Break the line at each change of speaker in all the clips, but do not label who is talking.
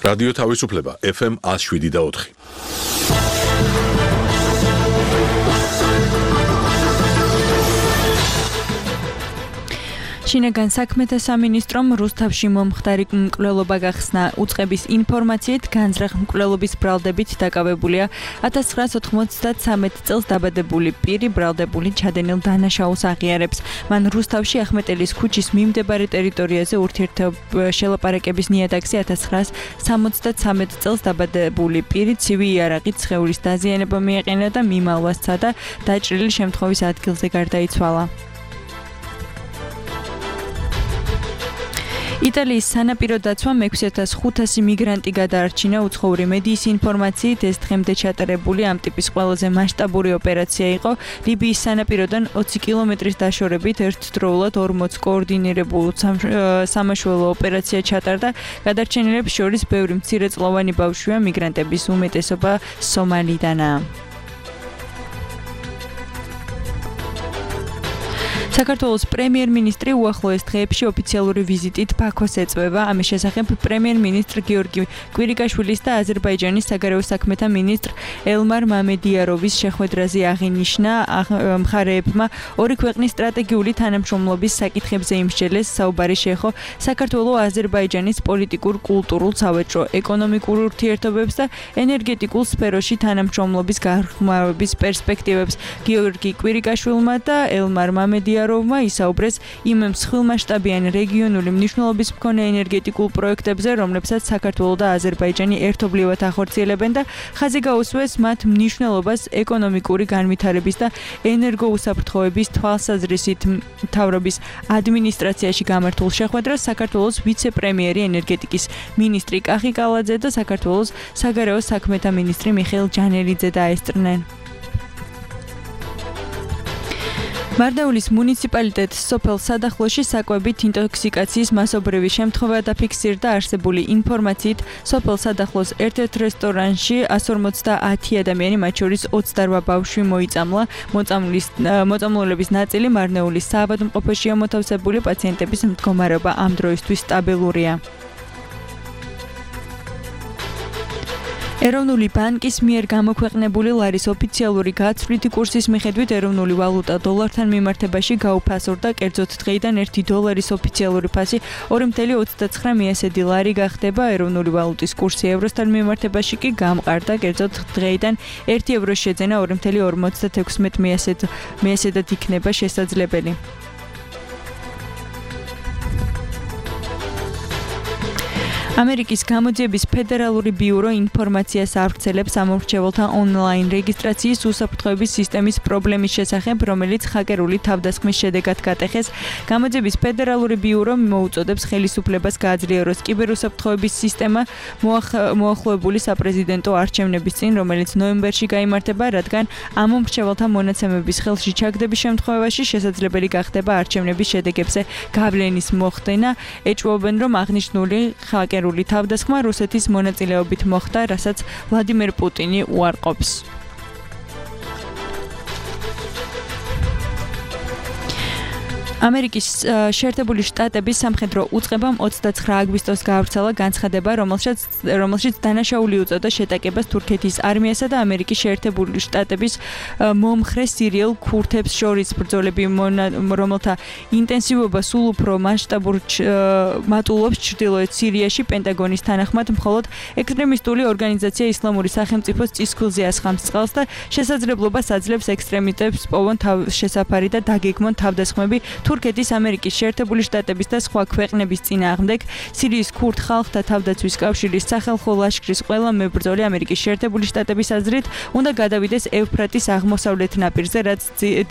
რადიო თავისუფლება FM 107.4.
შინაგან საქმეთა სამინისტრომ რუსთავში მომხდარი მკვლელობა გახსნა. უწყების ინფორმაციით განზრახ მკვლელობის ბრალდებით დაკავებულია 1993 წელს დაბადებული პირი ბრალდებული ჩადენილ დანაშაულს აღიარებს. მან რუსთავში ახმეტელის ქუჩის მიმდებარე ტერიტორიაზე ურთიერთშელაპარაკების ნიადაგზე 1973 წელს დაბადებული პირი ცივი იარაღით სხეულის დაზიანება მიეყენა და მიმალვა სცადა დაჭრილი შემთხვევის ადგილზე გარდაიცვალა. იტალიის სანაპირო დაცვამ 6500 მიგრანტი გადაარჩინა. უცხოური მედიის ინფორმაციით ეს დღემდე ჩატარებული ამ ტიპის ყველაზე მასშტაბური ოპერაცია იყო. ლიბიის სანაპიროდან 20 კილომეტრის დაშორებით ერთდროულად 40 კოორდინირებულ სამაშველო ოპერაცია ჩატარდა. გადარჩენილებს შორის ბევრი მცირეწლოვანი ბავშვია, მიგრანტების უმეტესობა სომალიდანაა. საქართველოს პრემიერ-მინისტრი უახლოეს დღეებში ოფიციალური ვიზიტით ბაქოს ეწვევა. ამის შესახებ პრემიერ-მინისტრ გიორგი კვირიკაშვილის და აზერბაიჯანის საგარეო საქმეთა მინისტრ ელმარ მამედიაროვის შეხვედრაზე აღინიშნა. მხარეებმა ორი ქვეყნის სტრატეგიული თანამშრომლობის საკითხებზე იმსჯელეს. საუბარი შეეხო საქართველო-აზერბაიჯანის პოლიტიკურ, კულტურულ, სავაჭრო, ეკონომიკურ ურთიერთობებს და ენერგეტიკულ სფეროში თანამშრომლობის გაღრმავების პერსპექტივებს. გიორგი კვირიკაშვილმა და ელმარ მამედიაროვმა ისაუბრეს იმ მსხვილმასშტაბიან რეგიონული მნიშვნელობის მქონე ენერგეტიკულ პროექტებზე, რომლებსაც საქართველო და აზერბაიჯანი ერთობლივად ახორციელებენ და ხაზი გაუსვეს მათ მნიშვნელობას ეკონომიკური განვითარების და ენერგოუსაფრთხოების თვალსაზრისით. მთავრობის ადმინისტრაციაში გამართულ შეხვედრას საქართველოს ვიცე-პრემიერი ენერგეტიკის მინისტრი კახი კალაძე და საქართველოს საგარეო საქმეთა მინისტრი მიხეილ ჯანელიძე დაესწრნენ. მარნეულის მუნიციპალიტეტს სოფელ სადახლოში საკვებით ინტოქსიკაციის მასობრივი შემთხვევა დაფიქსირდა. არსებული ინფორმაციით სოფელ სადახლოს ერთ-ერთ რესტორანში 150 ადამიანი, მათ შორის 28 ბავშვი მოიწამლა. მოწამლულების ნაწილი მარნეულის საავადმყოფოშია მოთავსებული. პაციენტების მდგომარეობა ამ დროისთვის სტაბილურია. ეროვნული ბანკის მიერ გამოქვეყნებული ლარის ოფიციალური გაცვლითი კურსის მიხედვით ეროვნული ვალუტა დოლართან მიმართებაში გაუფასურდა. კერძოდ დღეიდან 1 დოლარის ოფიციალური ფასი 2.29 ლარი გახდება. ეროვნული ვალუტის კურსი ევროსთან მიმართებაში კი გამყარდა. კერძოდ დღეიდან 1 ევროს შეძენა 2.56 იქნება შესაძლებელი. ამერიკის გამოძიების ფედერალური ბიურო ინფორმაციას ავრცელებს ამომრჩეველთა ონლაინ რეგისტრაციის უსაფრთხოების სისტემის პრობლემის შესახებ, რომელიც ჰაკერული თავდასხმის შედეგად გატეხეს. გამოძიების ფედერალური ბიურო მოუწოდებს ხელისუფლებას გააძლიეროს კიბერუსაფრთხოების სისტემა მოახლოებული საპრეზიდენტო არჩევნების წინ, რომელიც ნოემბერში გაიმართება, რადგან ამომრჩეველთა მონაცემების ხელში ჩაგდების შემთხვევაში შესაძლებელი გახდება არჩევნების შედეგებზე გავლენის მოხდენა. ეჭვობენ, რომ აღნიშნული ჰაკერული თავდასხმა რუსეთის მონაწილეობით მოხდა, რასაც ვლადიმერ პუტინი უარყოფს. ამერიკის შეერთებული შტატების სამხედრო უწყებამ 29 აგვისტოს გაავრცელა განცხადება, რომელშიც დანაშაული უწოდა შეტაკებას თურქეთის არმიასა და ამერიკის შეერთებული შტატების მომხრე სირიელ ქურთებს შორის. ბრძოლები, რომელთა ინტენსივობა სულ უფრო მასშტაბურ მატულობს ჩრდილოეთ სირიაში. პენტაგონის თანახმად, მხოლოდ ექსტრემისტული ორგანიზაცია ისლამური სახელმწიფოს წისქვილზე ასხამს წყალს და შესაძლებლობას აძლევს ექსტრემისტებს პოვონ შესაფარი და დაგეგმონ თავდასხმები თურქეთის, ამერიკის შეერთებული შტატების და სხვა ქვეყნების წინააღმდეგ. სირიის ქურთ ხალხთა თავდაცვის კავშირის სახალხო ლაშქრის ყველა მებრძოლი ამერიკის შეერთებული შტატების აზრით უნდა გადავიდეს ევფრატის აღმოსავლეთ ნაპირზე, რაც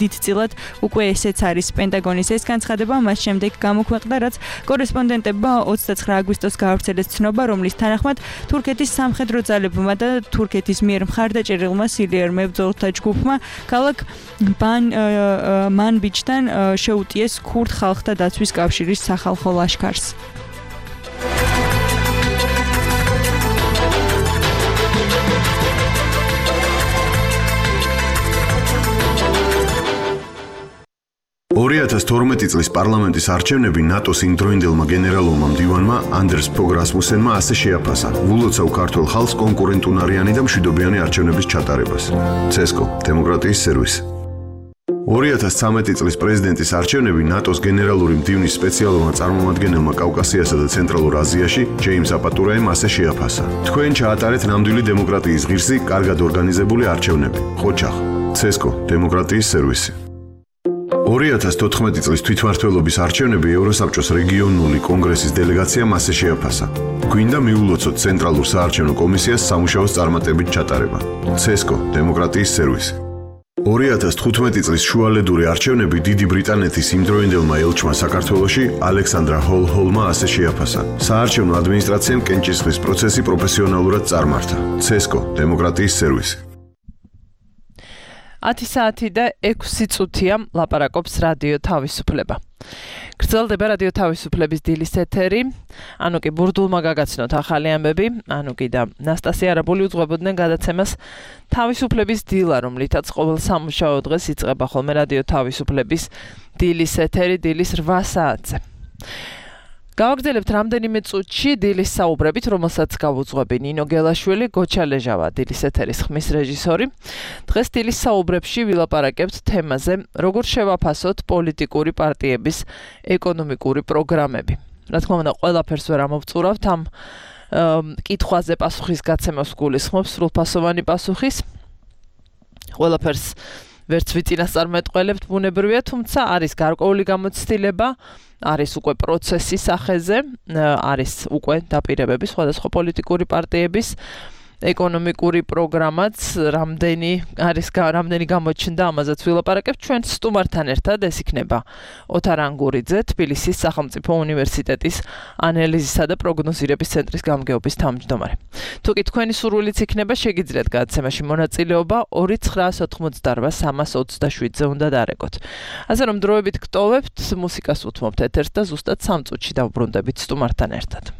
დიდწილად უკვე ესეც არის. პენტაგონის ეს განცხადება მას შემდეგ გამოქვეყნდა, რაც კორესპონდენტებმა 29 აგვისტოს გაავრცელეს ცნობა, რომლის თანახმად თურქეთის სამხედრო ძალებმა და თურქეთის მიერ მხარდაჭერილმა სირიელ მებრძოლთა ჯგუფმა ქალაქ მანბიჯთან შეუტიეს ქურთ ხალხთა დაცვის კავშირის სახალხო ლაშქარს.
2012 წლის პარლამენტის არჩევნები ნატოს იმდროინდელმა გენერალურმა მდივანმა ანდერს ფოგ რასმუსენმა ასე შეაფასა. ვულოცავ ქართულ ხალხს კონკურენტუნარიანი და მშვიდობიანი არჩევნების ჩატარებას. CESCO დემოკრატიის სერვისი. 2013 წლის პრეზიდენტის არჩევნები ნატოს გენერალური მდივნის სპეციალურმა წარმომადგენელმა კავკასიასა და ცენტრალურ აზიაში ჯეიმს აპატურაემ ასე შეაფასა. თქვენ ჩაატარეთ ნამდვილი დემოკრატიის ღირსი, კარგად ორგანიზებული არჩევნები. ხოჩახ. CESCO დემოკრატიის სერვისი. 2014 წლის თვითმმართველობის არჩევნები ევროსაბჭოს რეგიონული კონგრესის დელეგაციამ ასე შეაფასა. გვინდა მიულოცოთ ცენტრალურ საარჩევნო კომისიას სამუშაოს წარმატებით ჩატარება. CESCO დემოკრატიის სერვისი. 2015 წლის შუალედური არჩევნები დიდი ბრიტანეთის იმდროინდელმა ელჩმა საქართველოში ალექსანდრა ჰოლჰოლმა ასე შეაფასა. საარჩევნო ადმინისტრაციამ კენჭისყრის პროცესი პროფესიონალურად წარმართა. CESCO დემოკრატიის სერვისი.
10 საათი და 6 წუთია ლაპარაკობს რადიო თავისუფლება. გრძელდება რადიო თავისუფლების დილის ეთერი. ანუ კი ბურდულმა გაგაცნოთ ახალი ამბები, ანუ კი და ნასტასია არაბული უძღვებოდნენ გადაცემას თავისუფლების დილა, რომლითაც ყოველ სამუშაო დღეს იწყება ხოლმე რადიო თავისუფლების დილის ეთერი დილის 8 საათზე. გავაგრძელებთ რამდენიმე წუთში დილის საუბრებით, რომელსაც გავუძღვები ნინო გელაშვილი, გოჩა ლეჟავა, დილის ეთერის ხმის რეჟისორი. დღეს დილის საუბრებში ვილაპარაკებთ თემაზე, როგორ შევაფასოთ პოლიტიკური პარტიების ეკონომიკური პროგრამები. რა თქმა უნდა, ყველაფერს ვერ ამოვწურავთ ამ კითხვაზე პასუხის გაცემას გულისხმობს სრულფასოვანი პასუხის. ყველაფერს ვერც ვიწინასწარმეტყველებთ ბუნებრივია, თუმცა არის გარკვეული გამოცდილება, არის უკვე პროცესის სახეზე, არის უკვე დაპირებები სხვადასხვა პოლიტიკური პარტიების ეკონომიკური პროგრამაც, რამდენი გამოჩნდა, ამაზეც ვილაპარაკებთ ჩვენ სტუმართან ერთად. ეს იქნება ოთარ ანგურიძე, თბილისის სახელმწიფო უნივერსიტეტის ანალიზისა და პროგნოზირების ცენტრის გამგეობის თავმჯდომარე. თუ კი თქვენი სურვილიც იქნება, შეგიძლიათ გადაცემაში მონაწილეობა 2988327-ზე უნდა დარეკოთ. ასე რომ დროებით გტოვებთ, მუსიკას უთმობთ ეთერს და ზუსტად 3 წუთში დავბრუნდებით სტუმართან ერთად.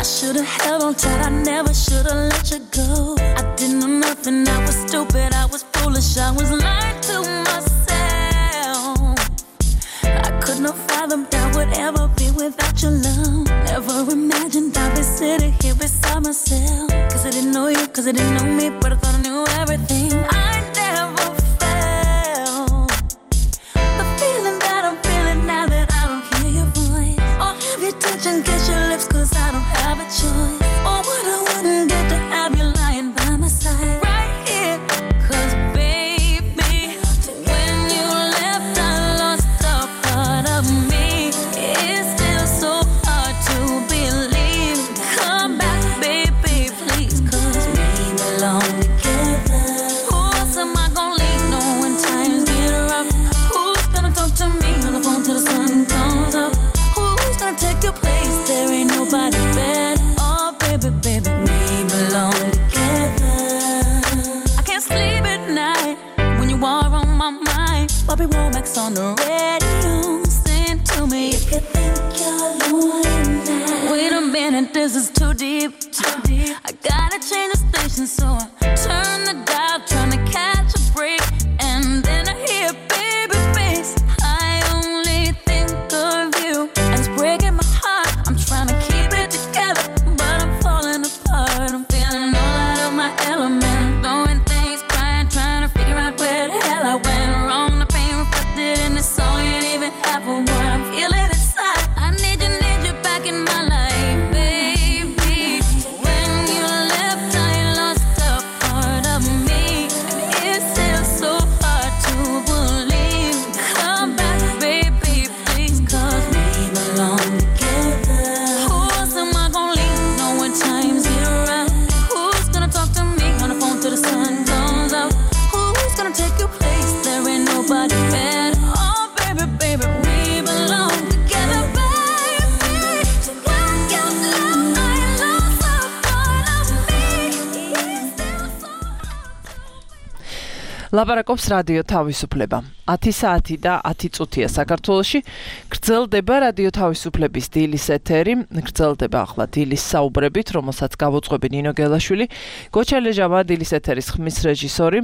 Should've held on tight, I never should've let you go. I didn't know nothing, I was stupid, I was foolish, I was lying to myself. I couldn't have fathomed I would ever be without your love. Never imagined I'd be sitting here beside myself. Cause I didn't know you, cause I didn't know me, but I thought I knew everything. I never felt the feeling that I'm feeling now that I don't hear your voice. Or have you touch and kiss your lips, cause I don't have a choice. Oh, what I wouldn't get to have you lying by my side right here. Cause baby, when you left I lost a part of me. It's still so hard to believe. Come back baby, please. Cause we belong together. Who else am I gonna leave no when times get rough? Who's gonna talk to me on the phone till the sun comes up? Who's gonna take your place? There ain't nobody better. Oh baby, baby, we belong together. I can't sleep at night when you are on my mind. Bobby Womack's on the radio, sing to me. You could think you're lonely now. Wait a minute, this is too deep, too deep. I gotta change the station, so I turn the dial, trying to catch a break, and then I hear baby face. I only think of you, and it's breaking my heart. I'm trying to keep it together, but I'm falling apart. I'm feeling all out of my element, blowing things, crying, trying to figure out where the hell I went wrong. The pain reflected in the song ain't even half of what I'm feeling inside. I need you back in my life, baby. When you left, I lost a part of me, and
ლაპარაკობს რადიო თავისუფლება. 10 საათი და 10 წუთია საქართველოში. გრძელდება რადიო თავისუფლების დილის ეთერი. გრძელდება ახლა დილის საუბრებით, რომელსაც გავუძღვები ნინო გელაშვილი. გოჩალეჟავა დილის ეთერის ხმის რეჟისორი.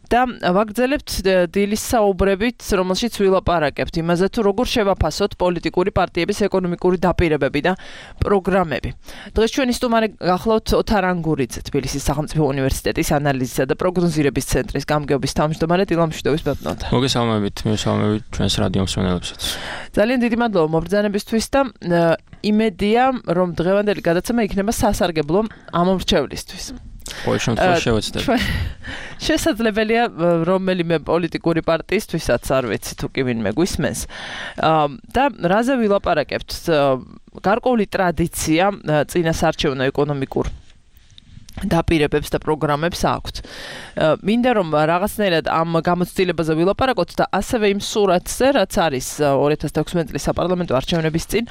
და ვაგრძელებთ დილის საუბრებით, რომელშიც ვილაპარაკებთ იმაზე, თუ როგორ შევაფასოთ პოლიტიკური პარტიების ეკონომიკური დაპირებები და პროგრამები. დღეს ჩვენი სტუმარი გახლავთ ოთარ ანგურიძე, თბილისის სახელმწიფო უნივერსიტეტის ანალიზისა და პროგნოზირების ცენტრის გამგეობის თავმჯდომარე. დილამშვიდობის ბატონო.
მოგესალმებით, მივესალმებით ჩვენს რადიო მსმენელებსაც.
ძალიან დიდი მადლობა მობრძანებისთვის და იმედია, რომ დღევანდელი გადაცემა იქნება სასარგებლო ამომრჩევლისთვის. შესაძლებელია რომელიმე პოლიტიკური პარტიისთვისაც არ ვიცი თუ კი ვინმე გვისმენს და რაზე ვილაპარაკებთ გარკვეული ტრადიცია წინასარჩევნო ეკონომიკურ დაპირებებს და პროგრამებს აქვთ. მინდა რომ რაღაცნაირად ამ გამოცდილებაზე ვილაპარაკოთ და ასევე იმ სურათზე რაც არის 2016 წლის საპარლამენტო არჩევნების წინ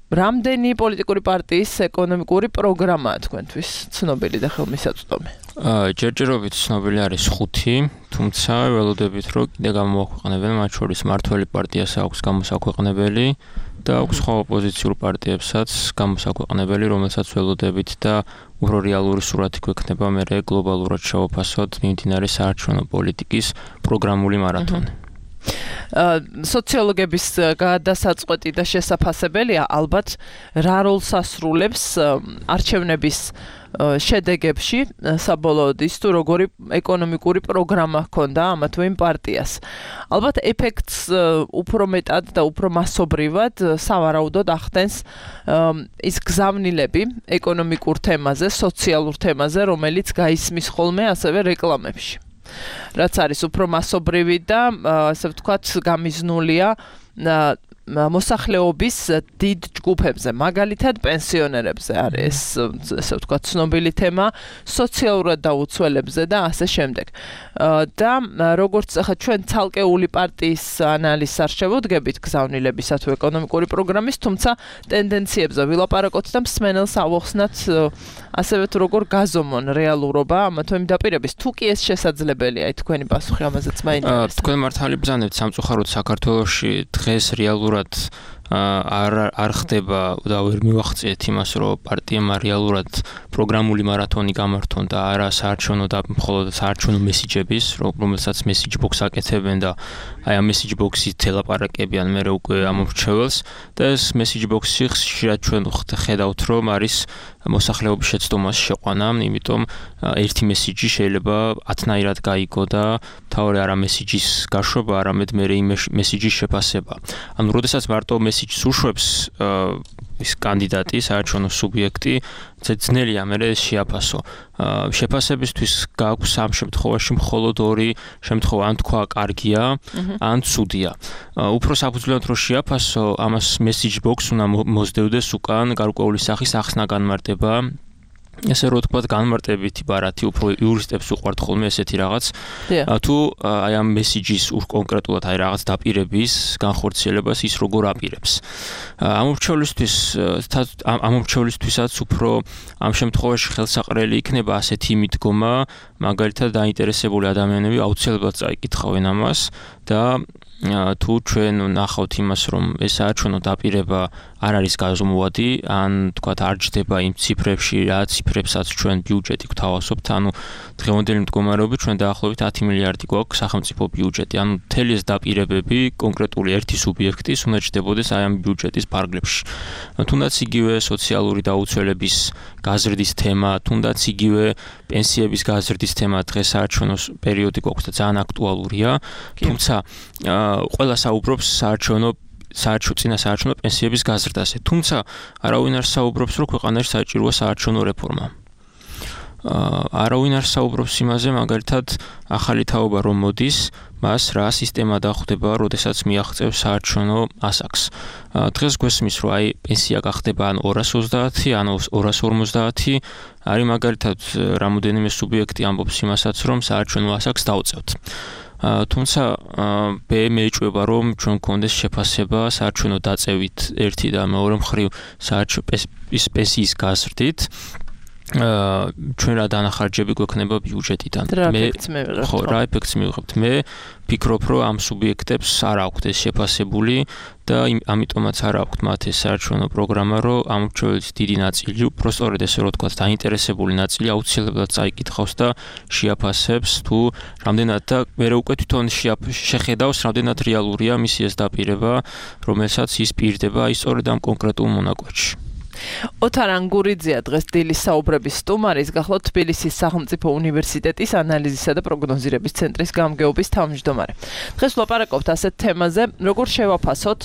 რამდენი პოლიტიკური პარტიის ეკონომიკური პროგრამაა თქვენთვის ცნობილი და ხელმისაწვდომი?
ჯერჯერობით ცნობილი არის 5, თუმცა ველოდებით რომ კიდე გამოაქვეყნებენ, მათ შორის მართველი პარტიას აქვს გამოსაქვეყნებელი და აქვს სხვა ოპოზიციურ პარტიებსაც გამოსაქვეყნებელი, რომელსაც ველოდებით და უფრო რეალური სურათი გვექნება მერე გლობალურად შევაფასოთ მიმდინარე საარჩევნო პოლიტიკის პროგრამული მარათონი. სოციოლოგების გადასაწყვეტი და შესაფასებელია ალბათ რა როლს ასრულებს არჩევნების შედეგებში საბოლოოდ ის თუ როგორი ეკონომიკური პროგრამა ჰქონდა ამა თუ იმ პარტიას. ალბათ ეფექტს უფრო მეტად და უფრო მასობრივად სავარაუდოდ ახდენს ის გზავნილები ეკონომიკურ თემაზე, სოციალურ თემაზე, რომელიც გაისმის ხოლმე ასევე რეკლამებში. რაც არის უფრო მასობრივი და ასე ვთქვათ გამიზნულია მოსახლეობის დიდ ჯგუფებზე, მაგალითად პენსიონერებზე არის ასე ვთქვათ ცნობილი თემა, სოციალურად დაუცველებზე და ასე შემდეგ. და როგორც ახლა ჩვენ ცალკეული პარტიის ანალიზს არ შევუდგებით გზავნილებისა თუ ეკონომიკური პროგრამის, თუმცა ტენდენციებზე ვილაპარაკოთ და მსმენელს ავახსნათ ასევე თუ როგორ გაზომონ რეალურობა ამა თუ იმ დაპირების, თუ კი ეს შესაძლებელია, თქვენი პასუხი ამაზეც მაინტერესებს. თქვენ მართალი ბრძანებთ სამწუხაროდ საქართველოში დღეს რეალურად არ ხდება და ვერ მივახციეთ იმას, რომ პარტიამ რეალურად პროგრამული მარათონი გამართონ და არა საარჩევნო და მხოლოდ საარჩევნო მესიჯების, რომელსაც მესიჯ ბოქს აკეთებენ და აი ამ მესიჯ ბოქსით ელაპარაკებიან მერე უკვე ამომრჩეველს და ეს მესიჯ ბოქსი ხშირად ჩვენ ხედავთ, რომ არის მოსახლეობის შეცდომას შეყვანა, იმიტომ ერთი მესიჯი შეიძლება 10-ნაირად გაიგო და თავი არა მესიჯის გაშვება, არამედ მერე იმ მესიჯის შეფასება. ანუ როდესაც მარტო მესიჯს უშვებს ის კანდიდატი, საარჩევნო სუბიექტი, ძნელია მერე შეაფასო. შეფასებისთვის გაქვს ამ შემთხვევაში მხოლოდ ორი შემთხვევა, ან თქვა კარგია, ან ცუდია. უფრო საფუძვლად რო შეაფასო, ამას message box უნდა მოსდევდეს უკან გარკვეული სახის ახსნა განმარტება. ესე რომ თქვა განმარტებითი ბარათი უფრო იურისტებს უყვართ ხოლმე ესეთი რაღაც. თუ აი ამ მესიჯის კონკრეტულად აი რაღაც დაპირების განხორციელებას ის როგორ აპირებს. ამომრჩევლისთვისაც უფრო ამ შემთხვევაში ხელსაყრელი იქნება ასეთი მიდგომა, მაგალითად დაინტერესებული ადამიანები აუცილებლად წაიკითხავენ ამას და თუ ჩვენ ნახავთ იმას, რომ ეს საარჩევნო დაპირება არ არის გაზომვადი, ან თქვათ არ ჯდება იმ ციფრებში, რა ციფრებსაც ჩვენ ბიუჯეტი გვთავაზობთ, ანუ დღევანდელი მდგომარეობით ჩვენ დაახლოებით 10 მილიარდი გვაქვს სახელმწიფო ბიუჯეტი, ანუ მთელი ეს დაპირებები კონკრეტული ერთი სუბიექტის უნდა ჯდებოდეს აი ამ ბიუჯეტის ფარგლებში. თუნდაც იგივე სოციალური დაუცველების გაზრდის თემა, თუნდაც იგივე პენსიების გაზრდის თემა დღეს საარჩევნო პერიოდი გვაქვს და ძალიან აქტუალურია, თუმცა ყველა საუბრობს წინა საარჩევნო პენსიების გაზრდაზე. თუმცა არავინ არ საუბრობს, რომ ქვეყანაში საჭიროა საარჩევნო რეფორმა. არავინ არ საუბრობს იმაზე, მაგალითად, ახალი თაობა რომ მოდის, მას რა სისტემა დახვდება, როდესაც მიაღწევს საარჩევნო ასაკს. დღეს გვესმის, რომ აი პენსია გახდება ან 230, ან 250, არის მაგალითად რამოდენიმე სუბიექტი ამბობს იმასაც, რომ საარჩევნო ასაკს დავწევთ. თუმცა მე ეჭვება, რომ ჩვენ გქონდეს შეფასება საარჩევნო დაწევით ერთი და მეორე მხრივ პენსიის გაზრდით
ჩვენ რა დანახარჯები გვექნება ბიუჯეტიდან. ხო, რა ეფექტს მივიღებთ. მე ფიქრობ, რომ ამ სუბიექტებს არ აქვთ ეს შეფასებული და ამიტომაც არ აქვთ მათ ეს საარჩევნო პროგრამა, რომ ამ მრჩეველის დიდი ნაწილი, უბრალოდ ესე რომ თქვა, დაინტერესებული ნაწილი აუცილებლად წაიკითხავს და შეაფასებს თუ რამდენად და მე უკვე თვითონ შეხედავს, რამდენად რეალურია მისი ეს დაპირება, რომელსაც ის პირდება აი სწორედ ამ კონკრეტულ მონაკვეთში.
ოთარ ანგურიძეა დღეს დილის საუბრების სტუმარი, გახლავთ თბილისის სახელმწიფო უნივერსიტეტის ანალიზისა და პროგნოზირების ცენტრის გამგეობის თავმჯდომარე. დღეს ვლაპარაკობთ ასეთ თემაზე, როგორ შევაფასოთ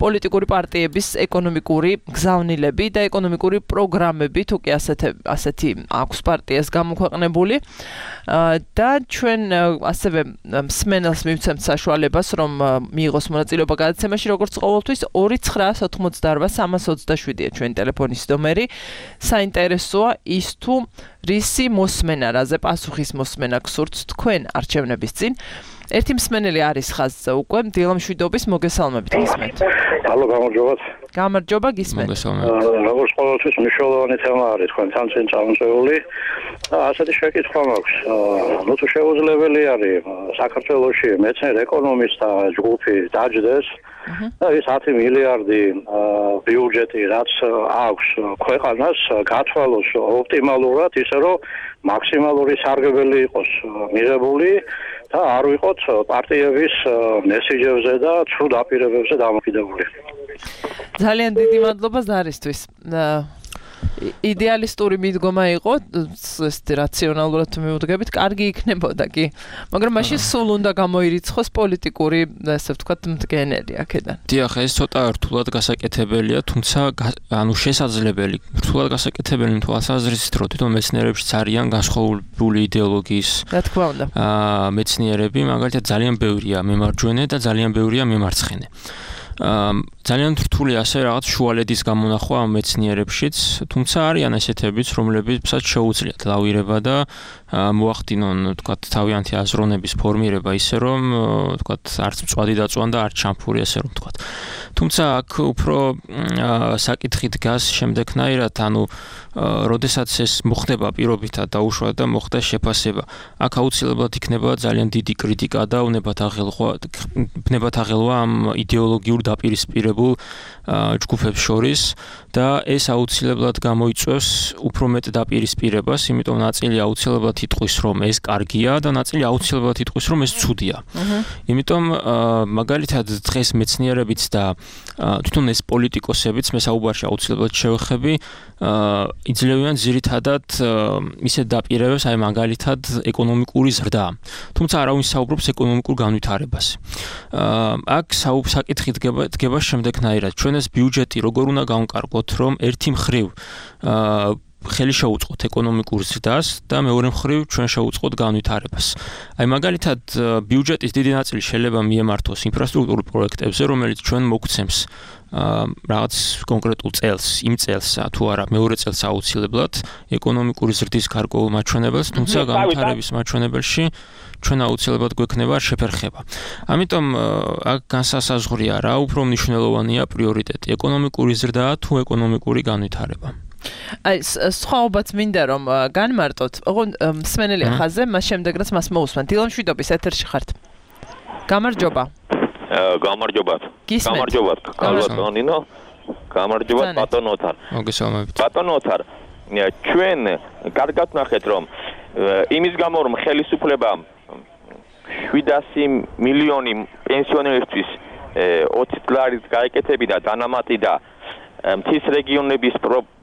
პოლიტიკური პარტიების ეკონომიკური გზავნილები და ეკონომიკური პროგრამები, თუ კი ასეთი აქვს პარტიას გამოქვეყნებული. და ჩვენ ასევე მსმენელს მივცემთ საშუალებას, რომ მიიღოს მონაწილეობა გადაცემაში, როგორც ყოველთვის 2988327-ია ჩვენი ტელეფონის ნომერი. საინტერესოა ის თუ რისი მოსმენა, რაზე პასუხის მოსმენა გსურთ თქვენ არჩევნების წინ. ერთი მსმენელი არის ხაზზე უკვე, დილამშვიდობის მოგესალმებით გისმენთ.
Алло, გამარჯობათ.
გამარჯობა, გისმენთ.
როგორც ყოველთვის მნიშვნელოვანი თემა არის თქვენთან წინ წამოწეული. ასეთი შეკითხვა მაქვს. ნუ თუ შეუძლებელი არის საქართველოში მეცნიერ ეკონომისტთა ჯგუფი დაჯდეს და ის 10 მილიარდი ბიუჯეტი რაც აქვს ქვეყანას გათვალოს ოპტიმალურად ისე რომ მაქსიმალური სარგებელი იყოს მიღებული და არ ვიყოთ პარტიების მესიჯებზე და ცუდ აპირებებზე დამოკიდებული.
ძალიან დიდი მადლობა ზარისთვის. იდეალისტური მიდგომა იყო, რაციონალურად მივუდგებით, კარგი იქნებოდა კი. მაგრამ მაშინ სულ უნდა გამოირიცხოს პოლიტიკური, ასე ვთქვათ, მდგენელი აქედან.
დიახ, ეს ცოტა რთულად გასაკეთებელია, თუმცა ანუ შესაძლებელი, რთულად გასაკეთებელი თვალსაზრისით, რომ თვითონ მეცნიერებშიც არიან განსხვავებული იდეოლოგიის.
რა თქმა უნდა.
მეცნიერები, მაგალითად, ძალიან ბევრია მემარჯვენე და ძალიან ბევრია მემარცხენე. ძალიან რთული ასე რაღაც შუალედის გამონახვა ამ მეცნიერებშიც, თუმცა არიან ესეთებიც, რომლებსაც შეუძლიათ ლავირება და მოახდინონ, თქვათ, თავიანთი აზროვნების ფორმირება ისე რომ, თქვათ, არც მწვადი დაწვან და არც შამფური ასე რომ თქვათ. თუმცა აქ უფრო საკითხი დგას შემდეგნაირად, ანუ როდესაც ეს მოხდება პირობითად დაუშვათ და მოხდა შეფასება. აქ აუცილებლად იქნება ძალიან დიდი კრიტიკა და უნებათ აღელვა ამ იდეოლოგიურ დაპირისპირებულ ჯგუფებს შორის და ეს აუცილებლად გამოიწვევს უფრო მეტ დაპირისპირებას, იმიტომ ნაწილი აუცილებლად იტყვის, რომ ეს კარგია და ნაწილი აუცილებლად იტყვის, რომ ეს ცუდია. იმიტომ მაგალითად დღეს მეცნიერებიც და თვითონ ეს პოლიტიკოსებიც მე საუბარში აუცილებლად შევეხები იძლევიან ძირითადად ისეთ დაპირებებს, აი მაგალითად ეკონომიკური ზრდა. თუმცა არავინ საუბრობს ეკონომიკურ განვითარებას. აქ საკითხი დგება შემდეგნაირად. ჩვენ ეს ბიუჯეტი როგორ უნდა გავკარგოთ, რომ ერთი მხრივ ხელი შეუწყოთ ეკონომიკურ ზრდას და მეორე მხრივ ჩვენ შევუწყოთ განვითარებას. აი მაგალითად ბიუჯეტის დიდი ნაწილი შეიძლება მიემართოს ინფრასტრუქტურულ პროექტებზე, რომელიც ჩვენ მოგცემს რაღაც კონკრეტულ წელს, იმ წელს თუ არა მეორე წელს აუცილებლად ეკონომიკური ზრდის გარკვეულ მაჩვენებელს, თუმცა განვითარების მაჩვენებელში ჩვენ აუცილებლად გვექნება შეფერხება. ამიტომ აქ განსასაზღვრია რა უფრო მნიშვნელოვანია პრიორიტეტი, ეკონომიკური ზრდა თუ ეკონომიკური განვითარება.
აი სხვაობაც მინდა რომ განმარტოთ. ოღონდ მსმენელი ხაზზე, მას შემდეგ რაც მას მოусმენ. დილამშვიდობის ეთერში ხართ. გამარჯობა.
გამარჯობათ. კალბატონინო. გამარჯობათ ბატონოთარ.
მოგესალმებით.
ბატონოთარ, ჩვენ კარგად ნახეთ რომ იმის გამო რომ ხელისუფლება 700 მილიონი პენსიონერისთვის 20 დოლარით გაეკეთებინა დანამატი და მთის რეგიონების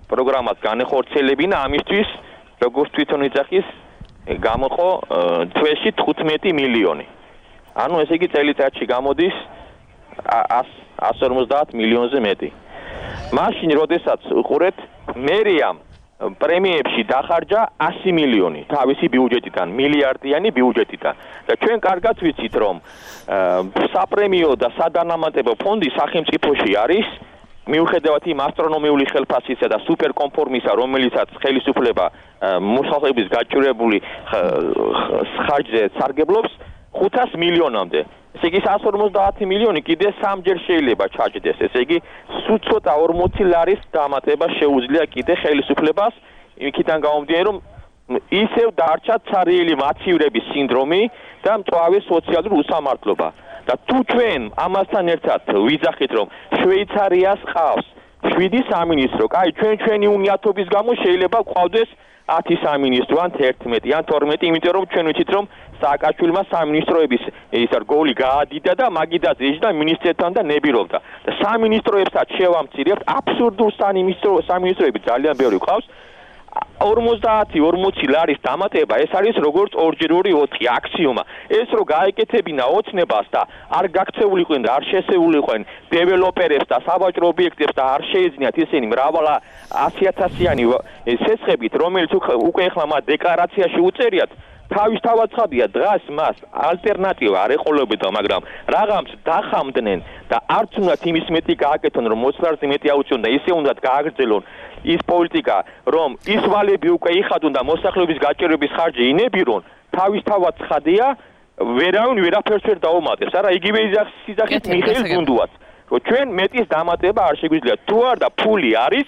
პროგრამას განეხორციელებინა, ამისთვის როგორც თვითონ იძახის გამოყო თვეში 15 მილიონი. ანუ ესე იგი წელიწადში გამოდის 150 მილიონზე მეტი. მაშინ როდესაც უყურეთ მერიამ პრემიებში დახარჯა 100 მილიონი თავისი ბიუჯეტიდან, მილიარდიანი ბიუჯეტიდან. და ჩვენ კარგად ვიცით რომ საპრემიო და სადანამატებო ფონდი სახელმწიფოში არის მიუხედავად იმ ასტრონომიული ხელფასისა და სუპერკონფორმისა, რომელიცაც ხელისუფლება მოსახლეობის გაჭირვებული ხარჯზე სარგებლობს 500 მილიონამდე. ესე იგი 150 მილიონი კიდე სამჯერ შეიძლება ჩაჯდეს. ესე იგი სულ ცოტა 40 ლარის დამატება შეუძლია კიდე ხელისუფლებას იქიდან გამომდინარე რომ ისევ დარჩა ცარიელი მაცივრების სინდრომი და მწვავე სოციალური უსამართლობა. და თუ ჩვენ ამასთან ერთად ვიძახით რომ შვეიცარიას ყავს 7 სამინისტრო, კაი ჩვენი უნიათობის გამო შეიძლება ყავდეს 10 სამინისტრო ან 11 ან 12, იმიტომ რომ ჩვენ ვიცით რომ სააკაშვილმა სამინისტროების ის რგოლი გაადიდა და მაგიდაც ეჯდა მინისტრებთან და ნებირობდა. და სამინისტროებსაც შევამცირებთ, აბსურდულ სამინისტროები ძალიან ბევრი ყავს. 50-40 ლარის დამატება ეს არის როგორც 2x4 აქსიომა. ეს რო გაეკეთებინა ოცნებას და არ გაქცეულიყვენ და არ შესეულიყვენ დეველოპერებს და საბაჭრო ობიექტებს და არ შეეძინათ ისინი მრავალი 100,000-იანი სესხებით, რომელიც უკვე ახლა მათ დეკლარაციაში უწერიათ, თავისთავად ცხადია დღეს მას ალტერნატივა არ ეყოლებოდა, მაგრამ რაღაცს დახამდნენ და არც უნდათ იმის მეტი გააკეთონ, რომ მოსვლარზე მეტი აუწიონ და ისე უნდათ გააგრძელონ ის პოლიტიკა, რომ ის ვალები უკვე იხადონ და მოსახლეობის გაჭირვების ხარჯი ინებირონ, თავისთავად ცხადია, ვერავინ ვერაფერს ვერ დაუმატებს. არა, იგივე სიძახით მიხეილ გუნდუას, რომ ჩვენ მეტის დამატება არ შეგვიძლია. თუ არ და ფული არის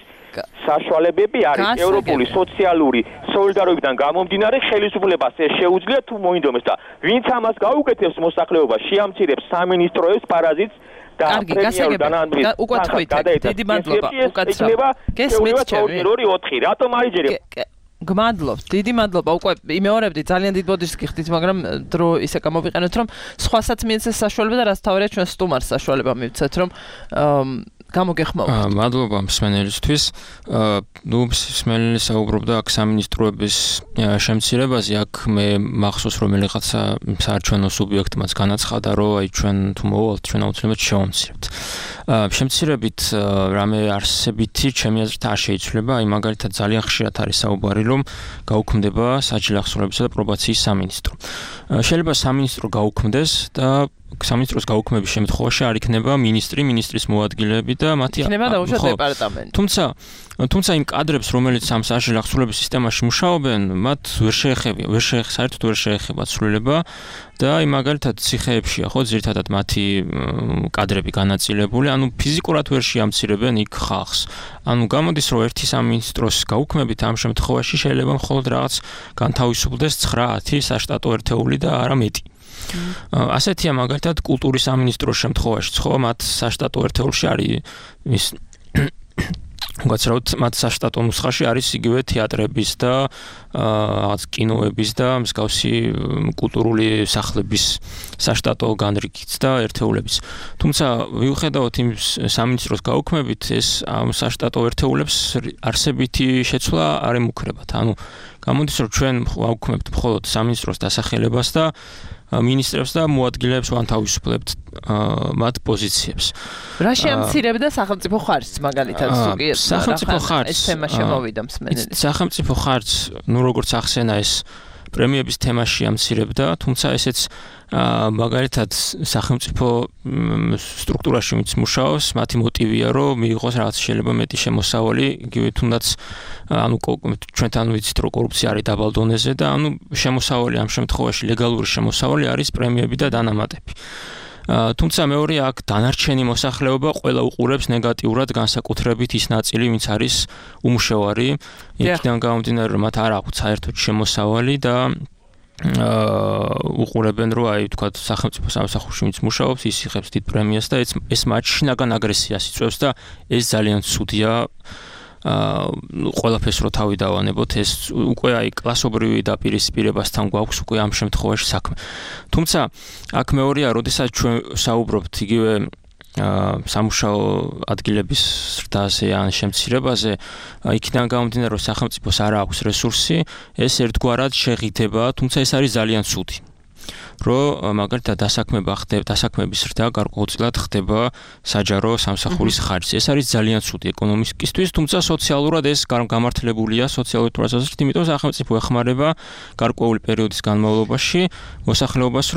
საშუალებები არის ევროპული სოციალური სოლიდარობიდან გამომდინარე ხელისუფლებას ეს შეუძლია თუ მოინდომეს და ვინც ამას გაუკეთებს მოსახლეობას შეამცირებს სამინისტროებს პარაზიტს და პრემიერს
უკეთხვით დიდი მადლობა უკაცრავ გესმით ჩემი
2-4 რატომ აიჯერებ
გმადლობთ დიდი მადლობა უკვე იმეორებდი ძალიან დიდ ბოდიშს გიხდით მაგრამ დრო ისე გამოვიყენოთ რომ სხვასაც მიეცეს საშუალება და რაც თავია ჩვენ სტუმარს საშუალება მივცეთ რომ გამოგეხმაუროთ.
მადლობა მსმენელისთვის. მსმენელი საუბრობდა აქ სამინისტროების შემცირებაზე, აქ მე მახსოვს რომ რაღაცა საარჩევნო სუბიექტმაც განაცხადა, რომ აი ჩვენ თუ მოვალთ, ჩვენ აუცილებლად შევამცირებთ. შემცირებით რამე არსებითი ჩემი აზრით არ შეიცვლება, აი მაგალითად ძალიან ხშირად არის საუბარი, რომ გაუქმდება საჯარო ახსოვლებისა და პრობაციის სამინისტრო. შეიძლება სამინისტრო გაუქმდეს და სამინისტროს გაუქმების შემთხვევაში არ იქნება ministris მოადგილეები და მათი
იქნება დაუშვათ დეპარტამენტი.
თუმცა იმ კადრებს, რომელიც ამ საჯარო ახსოვლების სისტემაში მუშაობენ, მათ საერთოდ ვერ შეეხება ცვლილება და აი მაგალითად ციხეებშია ხო ძირითადად მათი კადრები განაწილებული, ანუ ფიზიკურად ვერ შეამცირებენ იქ ხალხს. ანუ გამოდის რომ ერთი სამინისტროს გაუქმებით ამ შემთხვევაში შეიძლება მხოლოდ რაღაც განთავისუფლდეს 9-10 საშტატო ერთეული და არა მეტი. ასეთია მაგალითად კულტურის სამინისტროს შემთხვევაში, ხო, მათ საშტატო ერთეულში არის ის უგაცრავთ მათ საშტატო ნუსხაში არის იგივე თეატრების და რაღაც კინოების და მსგავსი კულტურული სახლების საშტატო განრიგიც და ერთეულების. თუმცა ვიუხედავთ იმ სამინისტროს გაუქმებით ეს ამ საშტატო ერთეულებს არსებითი შეცვლა არ ემუქრებათ. ანუ გამოდის რომ ჩვენ ვაუქმებთ მხოლოდ სამინისტროს დასახელებას და ministrებს და მოადგილეებს ვანთავისუფლებთ მათ პოზიციებს.
რა შეამცირებდა სახელმწიფო ხარჯს მაგალითად ზოგიერთ
სახელმწიფო ხარჯს
ეს თემა შემოვიდა მსმენელი.
სახელმწიფო ხარჯს, ნუ როგორც ახსენა ეს პრემიების თემაში ამცირებდა, თუმცა ესეც მაგალითად სახელმწიფო სტრუქტურაში ვინც მუშაობს, მათი მოტივია რომ მიიღოს რაღაც შეიძლება მეტი შემოსავალი, იგივე თუნდაც ანუ ჩვენთან ვიცით რომ კორუფცია არის დაბალ დონეზე და ანუ შემოსავალი ამ შემთხვევაში ლეგალური შემოსავალი არის პრემიები და დანამატები. თუმცა მეორე აქ დანარჩენი მოსახლეობა ყველა უყურებს ნეგატიურად განსაკუთრებით ის ნაწილი, ვინც არის უმუშევარი, იქიდან გამომდინარე რომ მათ არ აქვთ საერთოდ შემოსავალი და უყურებენ რომ აი თქვათ სახელმწიფო სამსახურში ვინც მუშაობს, ის იღებს დიდ პრემიას და ეს მათ შინაგან აგრესიას იწვევს და ეს ძალიან ცუდია. ყველაფერს რო თავი დავანებოთ ეს უკვე აი კლასობრივი დაპირისპირებასთან გვაქვს უკვე ამ შემთხვევაში საქმე. თუმცა აქ მეორეა, როდესაც ჩვენ საუბრობთ იგივე სამუშაო ადგილების ზრდაზე ან შემცირებაზე, იქიდან გამომდინარე რომ სახელმწიფოს არ აქვს რესურსი, ეს ერთგვარად შეღიდება, თუმცა ეს არის ძალიან ცუდი. რომ მაგალითად დასაქმების ზრდა გარკვეულწილად ხდება საჯარო სამსახურის ხარჯზე. ეს არის ძალიან ცუდი ეკონომიკისთვის, თუმცა სოციალურად ეს გამართლებულია სოციალური თვალსაზრისით, იმიტომ სახელმწიფო ეხმარება გარკვეული პერიოდის განმავლობაში მოსახლეობის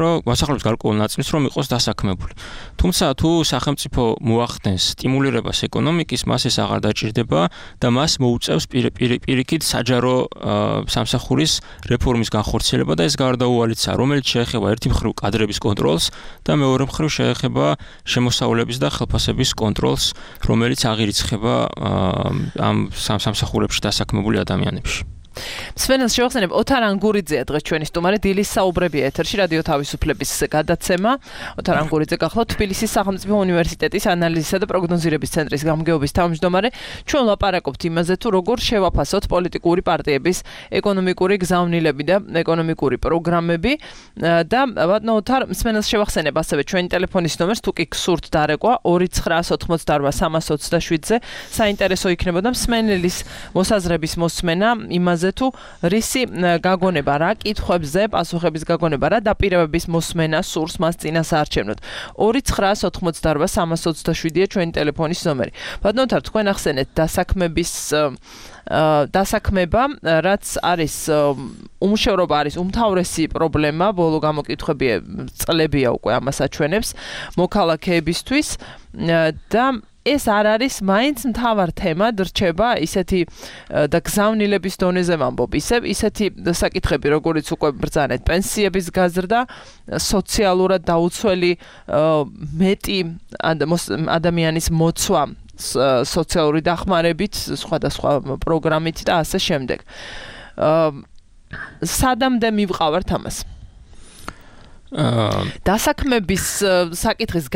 გარკვეულ ნაწილს რომ იყოს დასაქმებული. თუმცა თუ სახელმწიფო მოახდენს სტიმულირებას ეკონომიკის, მას ეს აღარ დაჭირდება და მას მოუწევს პირიქით საჯარო სამსახურის რეფორმის განხორციელება და ეს გარდაუვალიცა, რომელიც შეეხება ერთი მხრივ კადრების კონტროლს და მეორე მხრივ შეეხება შემოსავლების და ხელფასების კონტროლს, რომელიც აღირიცხება ამ სამსახურებში დასაქმებული ადამიანებში.
სვენელს შევახსენებ ოთარ ანგურიძეა დღეს ჩვენი სტუმარი დილის საუბრებია ეთერში რადიო თავისუფლების გადაცემა. ოთარ ანგურიძე გახლავთ თბილისის სახელმწიფო უნივერსიტეტის ანალიზისა და პროგნოზირების ცენტრის გამგეობის თავმჯდომარე. ჩვენ ლაპარაკობთ იმაზე თუ როგორ შევაფასოთ პოლიტიკური პარტიების ეკონომიკური გზავნილები და ეკონომიკური პროგრამები და ბატონო ოთარ სვენელს შევახსენებ ასევე ჩვენი ტელეფონის ნომერს თუ კი გსურთ დარეკვა 2988-327-ზე საინტერესო იქნებოდა სვენელის მოსაზრების მოსმენა იმაზე თუ რისი გაგონება რა კითხვებზე პასუხების გაგონება რა დაპირებების მოსმენა სურს მას წინასაარჩევნოდ 2988-327-ია ჩვენი ტელეფონის ნომერი. ბატონო თარ თქვენ ახსენეთ დასაქმება რაც არის უმუშევრობა არის უმთავრესი პრობლემა ბოლო გამოკითხვებია წლებია უკვე ამას აჩვენებს მოქალაქეებისთვის და ეს არ არის მაინც მთავარ თემად რჩება ისეთი და გზავნილების დონეზე ვამბობ ისეთი საკითხები როგორიც უკვე ბრძანეთ პენსიების გაზრდა სოციალურად დაუცველი მეტი ადამიანის მოცვა სოციალური დახმარებით სხვადასხვა პროგრამით და ასე შემდეგ სადამდე მივყავართ ამას დასაქმების საკითხის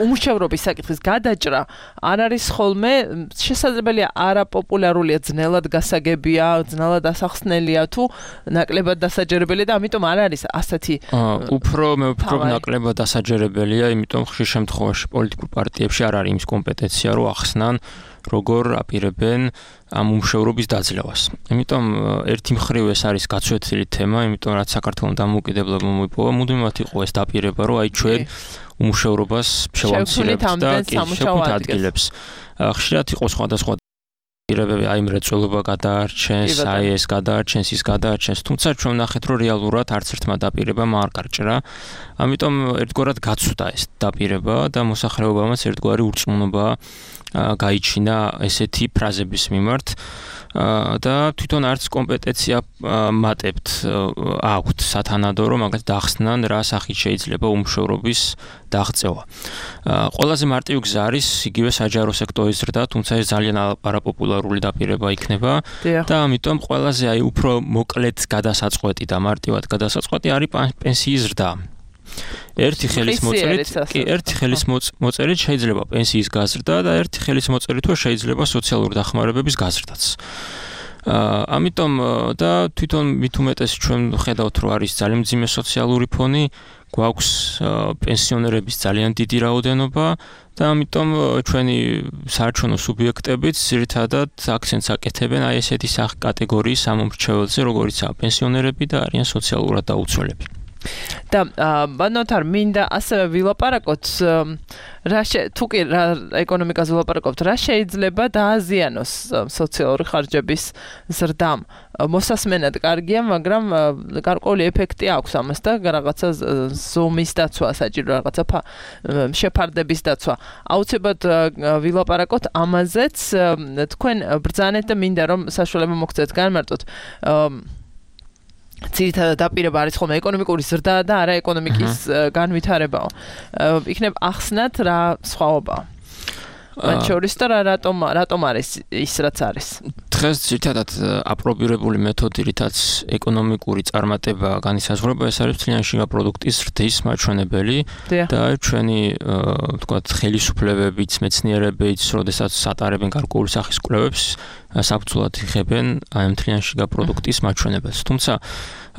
უმუშევრობის საკითხის გადაჭრა არ არის ხოლმე შესაძლებელია არაპოპულარულია ძნელად გასაგებია ძნელად ასახსნელია თუ ნაკლებად დასაჯერებელია და ამიტომ არ არის ასეთი
უფრო მე ვფიქრობ ნაკლებად დასაჯერებელია იმიტომ ხშირ შემთხვევაში პოლიტიკურ პარტიებში არ არის იმის კომპეტენცია რომ ახსნან როგორ აპირებენ ამ უმუშევრობის დაძლევას. Იმიტომ ერთი მხრივ ეს არის გაცვეთილი თემა, იმიტომ რაც საქართველოს დამოუკიდებლობა მოიპოვა, მუდმივად იყო ეს დაპირება, რომ აი ჩვენ უმუშევრობას შევამცირებთ და შევქმნით ადგილებს. ხშირად იყო სხვადასხვა დაპირებები, აი მრეწველობა გადაარჩენს, აი ეს გადაარჩენს, ის გადაარჩენს, თუმცა ჩვენ ვნახეთ, რომ რეალურად არც ერთმა დაპირებამ არ გარჭრა. ამიტომ ერთგვარად გაცვდა ეს დაპირება და მოსახლეობამაც ერთგვარი ურწმუნობა გაიჩინა ესეთი ფრაზების მიმართ და თვითონ არც კომპეტენცია მატებთ აქვთ სათანადო რომ მაგათ დახსნან რა სახით შეიძლება უმუშევრობის დაღწევა. ყველაზე მარტივი გზა არის იგივე საჯარო სექტორის ზრდა, თუმცა ეს ძალიან არაპოპულარული დაპირება იქნება და ამიტომ ყველაზე აი უფრო მოკლედ გადასაწყვეტი და მარტივად გადასაწყვეტი არის პენსიის ზრდა. ერთი ხელის მოწერით შეიძლება პენსიის გაზრდა და ერთი ხელის მოწერით შეიძლება სოციალური დახმარებების გაზრდაც. ამიტომ და თვითონ მით უმეტეს ჩვენ ხედავთ რომ არის ძალიან მძიმე სოციალური ფონი, გვაქვს პენსიონერების ძალიან დიდი რაოდენობა და ამიტომ ჩვენი საარჩევნო სუბიექტებიც ძირითადად აქცენტს აკეთებენ აი ესეთი კატეგორიის ამომრჩეველზე, როგორიცაა პენსიონერები და არიან სოციალურად დაუცველები.
და ბანოთარ მინდა ასევე ვილაპარაკოთ თუ კი ეკონომიკაზე ვილაპარაკობთ რა შეიძლება დააზიანოს სოციალური ხარჯების ზრდამ მოსასმენად კარგია მაგრამ გარკვეული ეფექტი აქვს ამას და რაღაცა ზომის დაცვა საჭირო რაღაცა შეფარდების დაცვა აუცილებლად ვილაპარაკოთ ამაზეც თქვენ ბრძანეთ და მინდა რომ საშუალება მოგცეთ განმარტოთ ძირითადად დაპირება არის ხოლმე ეკონომიკური ზრდა და არა ეკონომიკის განვითარებაო. იქნებ ახსნათ რა სხვაობაა. მათ შორის და რატომ არის ის რაც არის.
დღეს ძირითადად აპრობირებული მეთოდი, რითაც ეკონომიკური წარმატება განისაზღვრება, ეს არის მთლიანი შიგა პროდუქტის ზრდის მაჩვენებელი და ჩვენი ვთქვათ ხელისუფლებებიც, მეცნიერებიც, როდესაც ატარებენ გარკვეული სახის კვლევებს, საფუძვლად იღებენ აი მთლიანი შიგა პროდუქტის მაჩვენებელს. თუმცა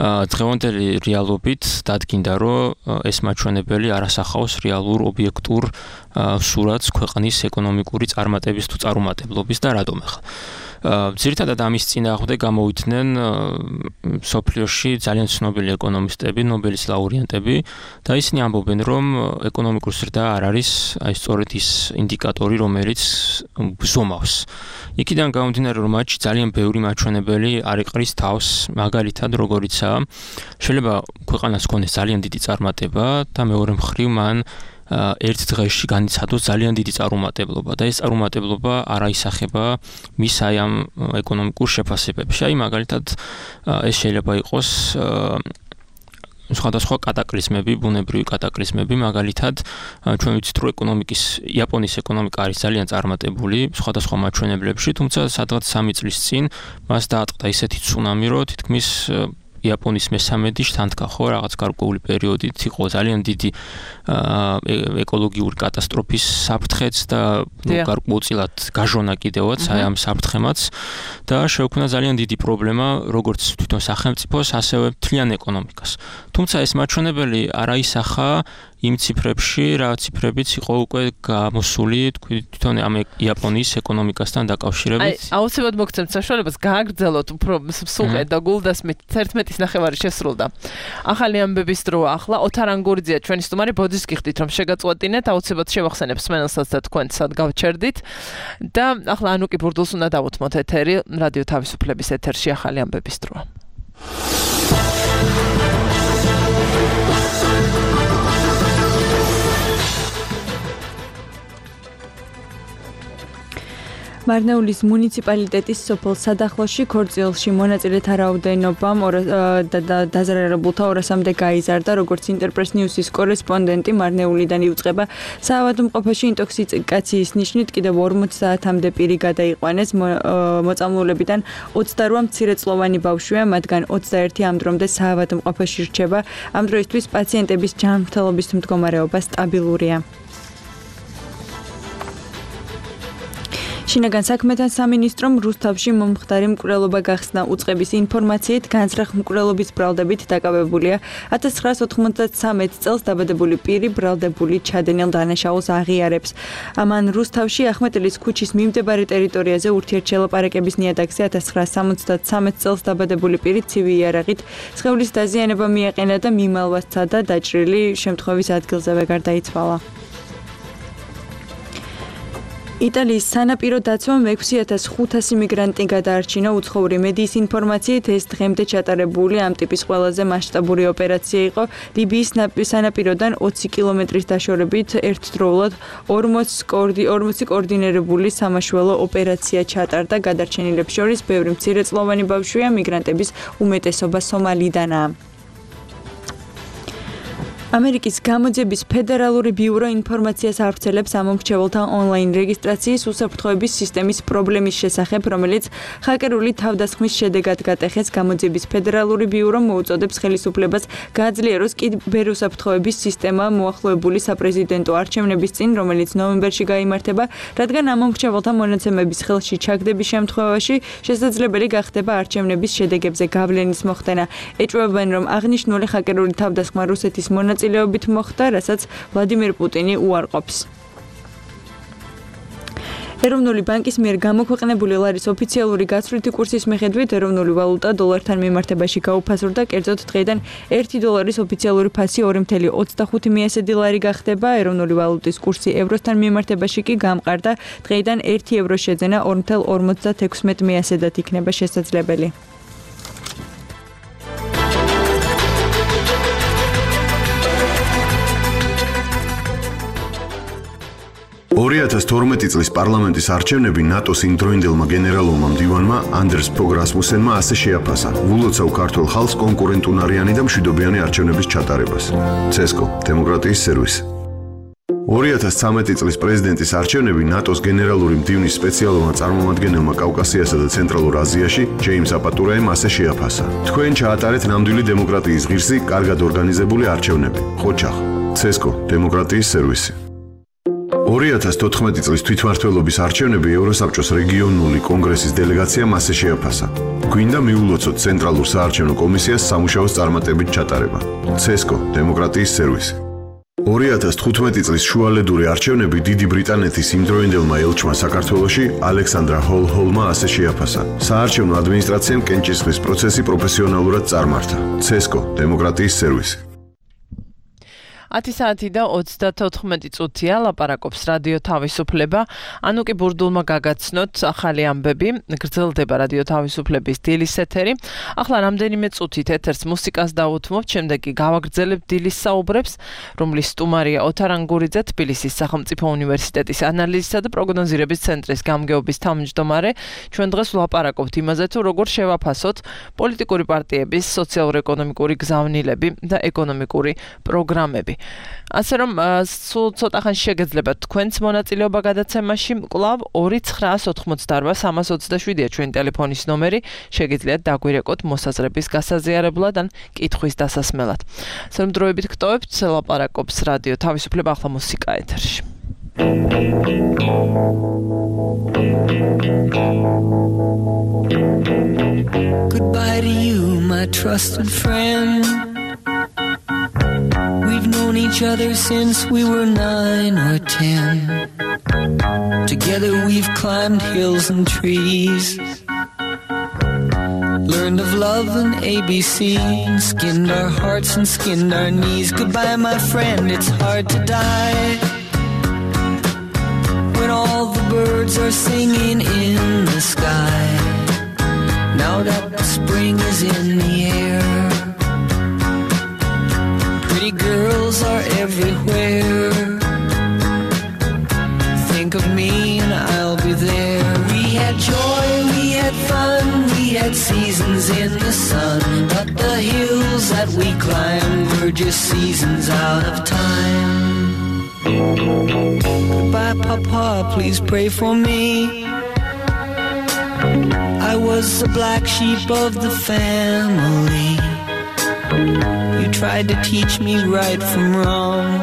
დღევანდელი რეალობით დადგინდა, რომ ეს მაჩვენებელი არ ასახავს რეალურ ობიექტურ სურათს ქვეყნის ეკონომიკური წარმატების თუ წარუმატებლობის და რატომ ახლა. ძირითადად ამის წინააღმდეგ გამოვიდნენ სოფლიოში ძალიან ცნობილი ეკონომისტები, ნობელის ლაურეატები და ისინი ამბობენ, რომ ეკონომიკური ზრდა არ არის აი სწორედ ის ინდიკატორი, რომელიც ზომავს. იქიდან გამომდინარე, რომ მათში ძალიან ბევრი მაჩვენებელი არ იყრის თავს, მაგალითად, როგორიცაა, შეიძლება ქვეყანას ჰქონდეს ძალიან დიდი წარმატება და მეორე მხრივ მან ერთ დღეში განიცადოს ძალიან დიდი წარუმატებლობა და ეს წარუმატებლობა არ აისახება მის აი ამ ეკონომიკურ შეფასებებში. აი მაგალითად ეს შეიძლება იყოს სხვადასხვა კატაკლიზმები, ბუნებრივი კატაკლიზმები, მაგალითად, ჩვენ ვიცით, რომ იაპონიის ეკონომიკა არის ძალიან წარმატებული სხვადასხვა მაჩვენებლებში, თუმცა სადღაც 3 წლის წინ მას დაატყდა ისეთი ცუნამი, რომ თითქმის იაპონიის მესამედი შთანთქა, ხო, რაღაც გარკვეული პერიოდით იყო ძალიან დიდი ეკოლოგიური კატასტროფის საფრთხეც და გარკვეულწილად გაჟონა კიდევაც აი ამ საფრთხემაც და შეუქმნა ძალიან დიდი პრობლემა როგორც თვითონ სახელმწიფოს, ასევე მთლიან ეკონომიკას. თუმცა ეს მაჩვენებელი არ აისახა იმ ციფრებში, რა ციფრებიც იყო უკვე გამოსული თვითონ ამ იაპონიის ეკონომიკასთან დაკავშირებით.
აი, აუცილებლად მოგცემთ საშუალებას გააგრძელოთ უფრო სულყედ და გულდასმით 11:09 შესრულდა. ახალი ამბების დრო ახლა ოთარ ანგურიძეა ჩვენი სტუმარი, ბოძის გიხდით რომ შეგაწყვეტინეთ, აუცილებლად შევახსენებთ სმენელსაც და თქვენ სად გავჩერდით და ახლა ანუკი ბურდულს უნდა დავუთმოთ ეთერი, რადიო თავისუფლების ეთერში ახალი ამბების დროა.
მარნეულის მუნიციპალიტეტის სოფელ სადახლოში ქორწილში მონაწილეთა რაოდენობამ დაზარალებულთა 200-მდე გაიზარდა, როგორც ინტერპრეს ნიუსის კორესპონდენტი მარნეულიდან იუწყება. საავადმყოფოში ინტოქსიკაციის ნიშნით კიდევ 40 საათამდე პირი გადაიყვანეს. მოწამლულებიდან 28 მცირეწლოვანი ბავშვია, მათგან 21 ამ დრომდე საავადმყოფოში რჩება. ამ დროისთვის პაციენტების ჯანმრთელობის მდგომარეობა სტაბილურია. შინაგან საქმეთა სამინისტრომ რუსთავში მომხდარი მკვლელობა გახსნა. უწყების ინფორმაციით განზრახ მკვლელობის ბრალდებით დაკავებულია 1993 წელს დაბადებული პირი ბრალდებული ჩადენილ დანაშაულს აღიარებს. ამან რუსთავში ახმეტელის ქუჩის მიმდებარე ტერიტორიაზე ურთიერთშელაპარაკების ნიადაგზე 1973 წელს დაბადებული პირი ცივი იარაღით სხეულის დაზიანება მიაყენა და მიმალვა სცადა, დაჭრილი შემთხვევის ადგილზევე გარდაიცვალა. იტალიის სანაპირო დაცვამ 6500 მიგრანტი გადაარჩინა. უცხოური მედიის ინფორმაციით ეს დღემდე ჩატარებული ამ ტიპის ყველაზე მასშტაბური ოპერაცია იყო. ლიბიის სანაპიროდან 20 კილომეტრის დაშორებით ერთდროულად 40 კოორდინირებული სამაშველო ოპერაცია ჩატარდა. გადარჩენილებს შორის ბევრი მცირეწლოვანი ბავშვია, მიგრანტების უმეტესობა სომალიდანაა. ამერიკის გამოძიების ფედერალური ბიურო ინფორმაციას ავრცელებს ამომრჩეველთა ონლაინ რეგისტრაციის უსაფრთხოების სისტემის პრობლემის შესახებ, რომელიც ჰაკერული თავდასხმის შედეგად გატეხეს. გამოძიების ფედერალური ბიურო მოუწოდებს ხელისუფლებას გააძლიეროს კიბერუსაფრთხოების სისტემა მოახლოებული საპრეზიდენტო არჩევნების წინ, რომელიც ნოემბერში გაიმართება, რადგან ამომრჩეველთა მონაცემების ხელში ჩაგდების შემთხვევაში შესაძლებელი გახდება არჩევნების შედეგებზე გავლენის მოხდენა. ეჭვებიან, რომ აღნიშნული ჰაკერული თავდასხმა რუსეთის მონაწილეობით მოხდა, რასაც ვლადიმერ პუტინი უარყოფს. ეროვნული ბანკის მიერ გამოქვეყნებული ლარის ოფიციალური გაცვლითი კურსის მიხედვით ეროვნული ვალუტა დოლართან მიმართებაში გაუფასურდა, კერძოდ დღეიდან 1 დოლარის ოფიციალური ფასი 2.25 ლარი გახდება. ეროვნული ვალუტის კურსი ევროსთან მიმართებაში კი გამყარდა, დღეიდან 1 ევრო შეძენა 2.56 იქნება შესაძლებელი.
2012 წლის პარლამენტის არჩევნები ნატოს იმდროინდელმა გენერალურმა მდივანმა ანდერს ფოგ რასმუსენმა ასე შეაფასა: "ვულოცავ ქართულ ხალხს კონკურენტუნარიანი და მშვიდობიანი არჩევნების ჩატარებას." CESCO დემოკრატიის სერვისი. 2013 წლის პრეზიდენტის არჩევნები ნატოს გენერალური მდივნის სპეციალურმა წარმომადგენელმა კავკასიასა და ცენტრალურ აზიაში ჯეიმს აპატურაემ ასე შეაფასა: "თქვენ ჩაატარეთ ნამდვილი დემოკრატიის ღირსი, კარგად ორგანიზებული არჩევნები." ხოჩახ. CESCO დემოკრატიის სერვისი. 2014 წლის თვითმმართველობის არჩევნები ევროსაბჭოს რეგიონული კონგრესის დელეგაციამ ასე შეაფასა: "გვინდა მიულოცოთ ცენტრალურ საარჩევნო კომისიას სამუშაოს წარმატებით ჩატარება." CESCO დემოკრატიის სერვისი. 2015 წლის შუალედური არჩევნები დიდი ბრიტანეთის იმდროინდელმა ელჩმა საქართველოში ალექსანდრა ჰოლჰოლმა ასე შეაფასა: "საარჩევნო ადმინისტრაციამ კენჭისყრის პროცესი პროფესიონალურად წარმართა." CESCO დემოკრატიის სერვისი.
10 საათი და 34 წუთია ლაპარაკობს რადიო თავისუფლება. ანუ კი ბურდულმა გაგაცნოთ ახალი ამბები. გრძელდება რადიო თავისუფლების დილის ეთერი. ახლა რამდენიმე წუთით ეთერს მუსიკას დავუთმობთ, შემდეგ კი გავაგრძელებთ დილის საუბრებს, რომლის სტუმარია ოთარ ანგურიძე, თბილისის სახელმწიფო უნივერსიტეტის ანალიზისა და პროგნოზირების ცენტრის გამგეობის თავმჯდომარე. ჩვენ დღეს ვლაპარაკობთ იმაზე, თუ როგორ შევაფასოთ პოლიტიკური პარტიების სოციალურ-ეკონომიკური გზავნილები და ეკონომიკური პროგრამები. ასე რომ სულ ცოტა ხანში შეგეძლებათ თქვენს მონაწილეობა გადაცემაში. კვლავ 2988327-ია ჩვენი ტელეფონის ნომერი. შეგიძლიათ დაგვირეკოთ მოსაზრების გასაზიარებლად ან კითხვის დასასმელად. ასე რომ დროებით გტოვებთ, ლაპარაკობს რადიო თავისუფლება, ახლა მუსიკა ეთერში.
Goodbye to you, my trusted friend. We've known each other since we were 9 or 10. Together we've climbed hills and trees, learned of love and ABC, and skinned our hearts and skinned our knees. Goodbye, my friend, it's hard to die when all the birds are singing in the sky. Now that the spring is in the air, pretty girls are everywhere. Think of me and I'll be there. We had joy, we had fun, we had seasons in the sun, but the hills that we climbed were just seasons out of time. Goodbye, Papa, please pray for me. I was the black sheep of the family. You tried to teach me right from wrong.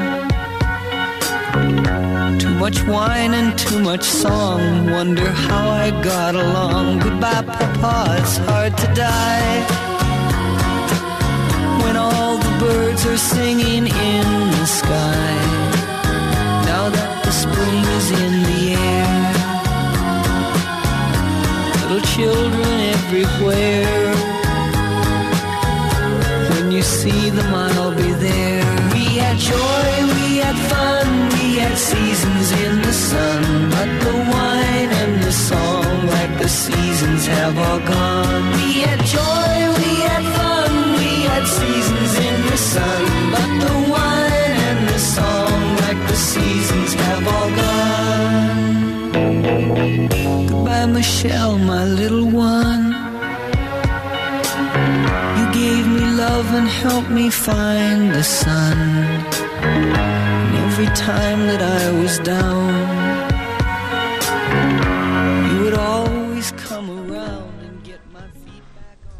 Too much wine and too much song, wonder how I got along. Goodbye, Papa, it's hard to die when all the birds are singing in the sky. Now that the spring is in the air, little children everywhere. When you see them, I'll be there. We had joy, we had fun, we had seasons in the sun, but the wine and the song, like the seasons, have all gone. We had joy, we had fun, we had seasons in the sun, but the wine and the song, like the seasons, have all gone. Goodbye, Michelle, my little one. You gave me love and helped me find the sun. And every time that I was down, you would always come around and get my feet back on.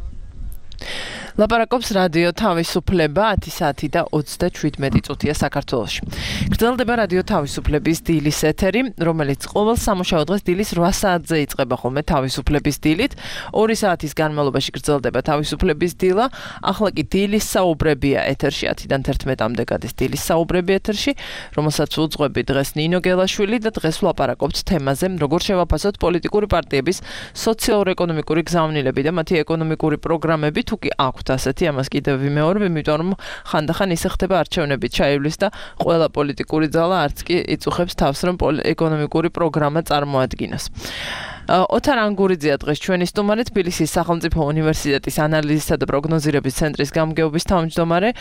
ლაპარაკობს რადიო თავისუფლება 10 საათი და 37 წუთია საქართველოში. გრძელდება რადიო თავისუფლების დილის ეთერი, რომელიც ყოველ სამუშაო დღეს დილის 8 საათზე იწყება ხოლმე თავისუფლების დილით. 2 საათის განმავლობაში გრძელდება თავისუფლების დილა. ახლა კი დილის საუბრებია ეთერში 10-დან 11-მდე გადის დილის საუბრები ეთერში, რომელსაც უძღვები დღეს ნინო გელაშვილი და დღეს ვლაპარაკობთ თემაზე, როგორ შევაფასოთ პოლიტიკური პარტიების სოციალურ-ეკონომიკური გზავნილები და მათი ეკონომიკური პროგრამები, თუ კი აქვთ ასეთი, ამას კიდევ ვიმეორებ, იმიტომ რომ ხანდახან ისე ხდება არჩევნები ჩაივლის და ყველა პოლიტიკური ძალა არც კი იწუხებს თავს, რომ ეკონომიკური პროგრამა წარმოადგინოს. ოთარ ანგურიძეა დღეს ჩვენი სტუმარი, თბილისის სახელმწიფო უნივერსიტეტის ანალიზისა და პროგნოზირების ცენტრის გამგეობის თავმჯდომარე.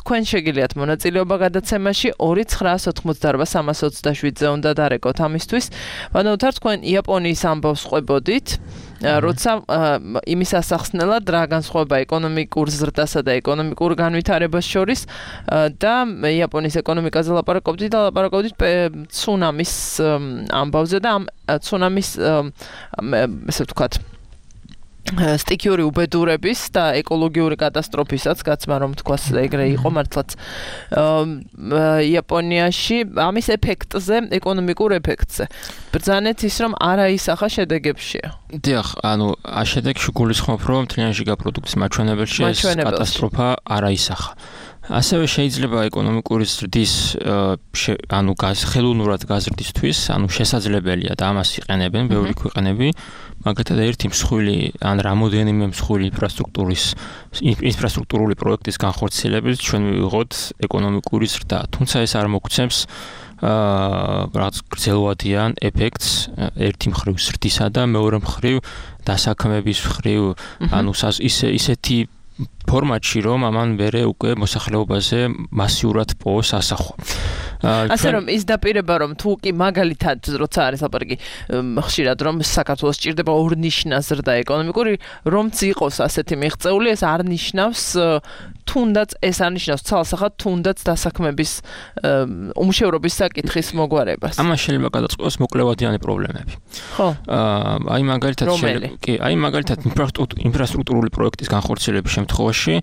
თქვენ შეგიძლიათ მონაწილეობა გადაცემაში 2988327-ზე უნდა დარეკოთ ამისთვის. ბატონო ოთარ, თქვენ იაპონიის ამბავს ყვებოდით, როცა იმის ასახსნელად რა განსხვავება ეკონომიკურ ზრდასა და ეკონომიკურ განვითარებას შორის და იაპონიის ეკონომიკაზე ლაპარაკობდით და ლაპარაკობდით ცუნამის ამბავზე და ამ ცუნამის ესე ვთქვათ სტიქიური უბედურების და ეკოლოგიური კატასტროფისაც, გაცმა რომ თქვას ეგრე იყო მართლაც იაპონიაში ამის ეფექტზე, ეკონომიკურ ეფექტზე. ბრძანეთ ის რომ არა ისახა შედეგებშია.
დიახ, ანუ შედეგში გულისხმობ რომ მთლიანი ჟიგაპროდუქტის მაჩვენებელში ეს კატასტროფა არა ისახა. ასევე შეიძლება ეკონომიკური ზრდის ხელოვნურად გაზრდისთვის, შესაძლებელია და ამას იყენებენ ბევრი ქვეყნები, მაგალითად ერთი მსხვილი ან რამოდენიმე მსხვილი ინფრასტრუქტურული პროექტის განხორციელებით ჩვენ მივიღოთ ეკონომიკური ზრდა, თუმცა ეს არ მოგცემს რაღაც გრძელვადიან ეფექტს ერთი მხრივ ზრდისა და მეორე მხრივ დასაქმების მხრივ, ისეთი ფორმატში რომ ამან მერე უკვე მოსახლეობაზე მასიურად პოვოს ასახვა.
ასე რომ ის დაპირება რომ თუ კი მაგალითად როცა არის ლაპარაკი ხშირად რომ საქართველოს ჭირდება ორნიშნა ზრდა ეკონომიკური რომც იყოს ასეთი მიღწეული ეს არ ნიშნავს თუნდაც ეს არ ნიშნავს ცალსახად თუნდაც დასაქმების უმუშევრობის საკითხის მოგვარებას.
ამას შეიძლება გადაწყდეს მოკლევადიანი პრობლემები.
ხო.
აი მაგალითად ინფრასტრუქტურული პროექტის განხორციელების შემთხვევაში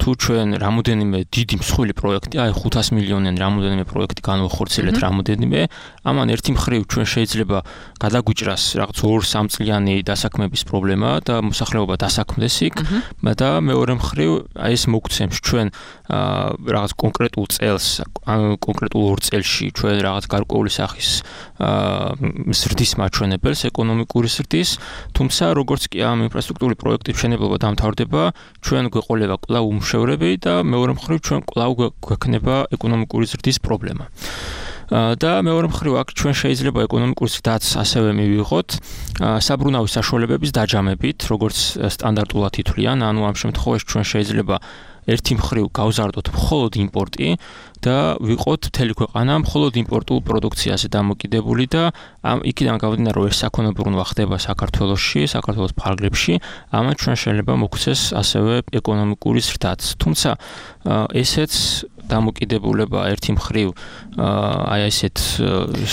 თუ ჩვენ რამოდენიმე დიდი მსხვილი პროექტი, აი 500 მილიონიანი რამოდენიმე პროექტი განვახორციელეთ რამოდენიმე, ამან ერთი მხრივ ჩვენ შეიძლება გადაგვიჭრას რაღაც 2-3 წლიანი დასაქმების პრობლემა და მოსახლეობა დასაქმდეს იქ და მეორე მხრივ აი ეს მოგცემს ჩვენ რაღაც კონკრეტულ წელს, კონკრეტულ 2 წელში ჩვენ რაღაც გარკვეული სახის ზრდის მაჩვენებელს, ეკონომიკური ზრდის, თუმცა როგორც კი ამ ინფრასტრუქტურული პროექტის მშენებლობა დამთავრდება, ჩვენ გვეყოლება კვლავ უმუშევრები და მეორე მხრივ ჩვენ კვლავ გვექნება ეკონომიკური ზრდის პრობლემა. და მეორე მხრივ აქ ჩვენ შეიძლება ეკონომიკური ზრდაც ასევე მივიღოთ საბრუნავი საშუალებების დაჯამებით, როგორც სტანდარტულად ითვლიან, ანუ ამ შემთხვევაში ჩვენ შეიძლება ერთი მხრივ გავზარდოთ მხოლოდ იმპორტი და ვიყოთ მთელი ქვეყანა მხოლოდ იმპორტულ პროდუქციაზე დამოკიდებული და იქიდან გამომდინარე რომ ეს საქონლობრუნვა ხდება საქართველოში, საქართველოს ფარგლებში, ამან ჩვენ შეიძლება მოგვცეს ასევე ეკონომიკური ზრდაც. თუმცა ესეც დამოკიდებულება ერთი მხრივ აი ესეთ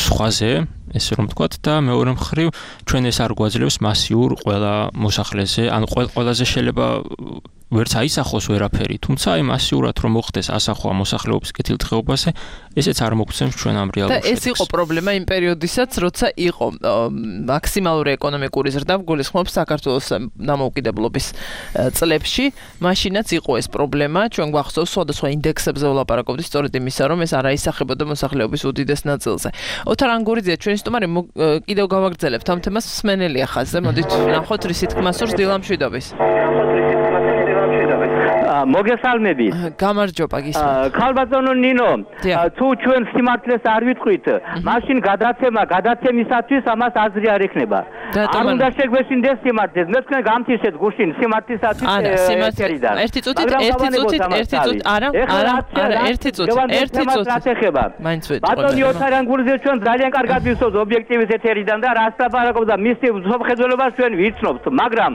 სხვაზე ესე რომ ვთქვათ და მეორე მხრივ ჩვენ ეს არ გვაძლევს მასიურ ყველა მოსახლეზე, ანუ ყველაზე შეიძლება ვერც აისახოს ვერაფერი, თუმცა აი მასიურად რომ მოხდეს ასახვა მოსახლეობის კეთილდღეობაზე, ესეც არ მოგცემს ჩვენ ამ რეალურ შედეგს.
და ეს იყო პრობლემა იმ პერიოდისაც, როცა იყო მაქსიმალური ეკონომიკური ზრდა, გულისხმობს საქართველოს დამოუკიდებლობის წლებში, მაშინაც იყო ეს პრობლემა, ჩვენ გვახსოვს სხვადასხვა ინდექსებზე ვლაპარაკობთ, სწორედ იმისა, რომ ეს არ აისახებოდა მოსახლეობის უდიდეს ნაწილზე. ოთარ ანგურიძე, ჩვენი სტუმარი, კიდევ გავაგრძელებთ ამ თემას მსმენელია ხაზზე, მოდით ვნახოთ რის თქმა სურს დილამშვიდობის.
მოგესალმებით.
გამარჯობა გისმენთ.
ქალბატონო ნინო, თუ ჩვენ სიმართლეს არ ვიტყვით, მაშინ გადაცემისათვის ამას აზრი არ ექნება. არ უნდა შეგვეშინდეს სიმართლეს. მე თქვენ გამთიშეთ გუშინ სიმართლისათვის ერთერიდან.
ერთი წუთით, არა, ერთი წუთი. მაინც ვეტყვი.
ბატონი ოთარ ანგურიძე ჩვენ ძალიან კარგად ვიცოდთ ობიექტივის ეთერიდან და რას ლაპარაკობდა მისი მსოფლმხედველობას ჩვენ ვიცნობთ, მაგრამ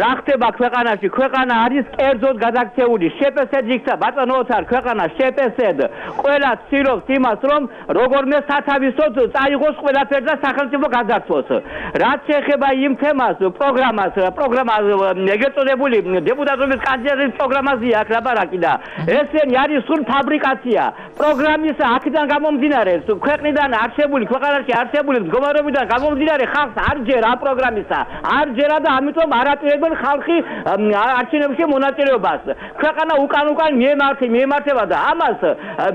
რა ხდება ქვეყანაში? ქვეყანა არის კერძოდ გადაქცეული. შეპესედ იქცა ბატონო ოთარ, ქვეყანა შეპესედ. ყველა ცდილობს იმას, რომ როგორმე სათავისოდ წაიღოს ყველაფერი და სახელმწიფო გადაარჩოს. რაც შეეხება იმ თემას, პროგრამას ეგრეთ წოდებული დეპუტატობის კანდიდატის პროგრამაზეა აქ ლაპარაკი და ესენი არის სულ ფაბრიკაცია. პროგრამის აქედან გამომდინარე, ქვეყნიდან არსებული, ქვეყანაში არსებული მდგომარეობიდან გამომდინარე ხალხს არ ჯერა პროგრამისა. არ ჯერა და ამიტომ არაპირებენ ხალხი არჩევნებში მონაწილეობას. ქვეყანა უკან მიემართება და ამას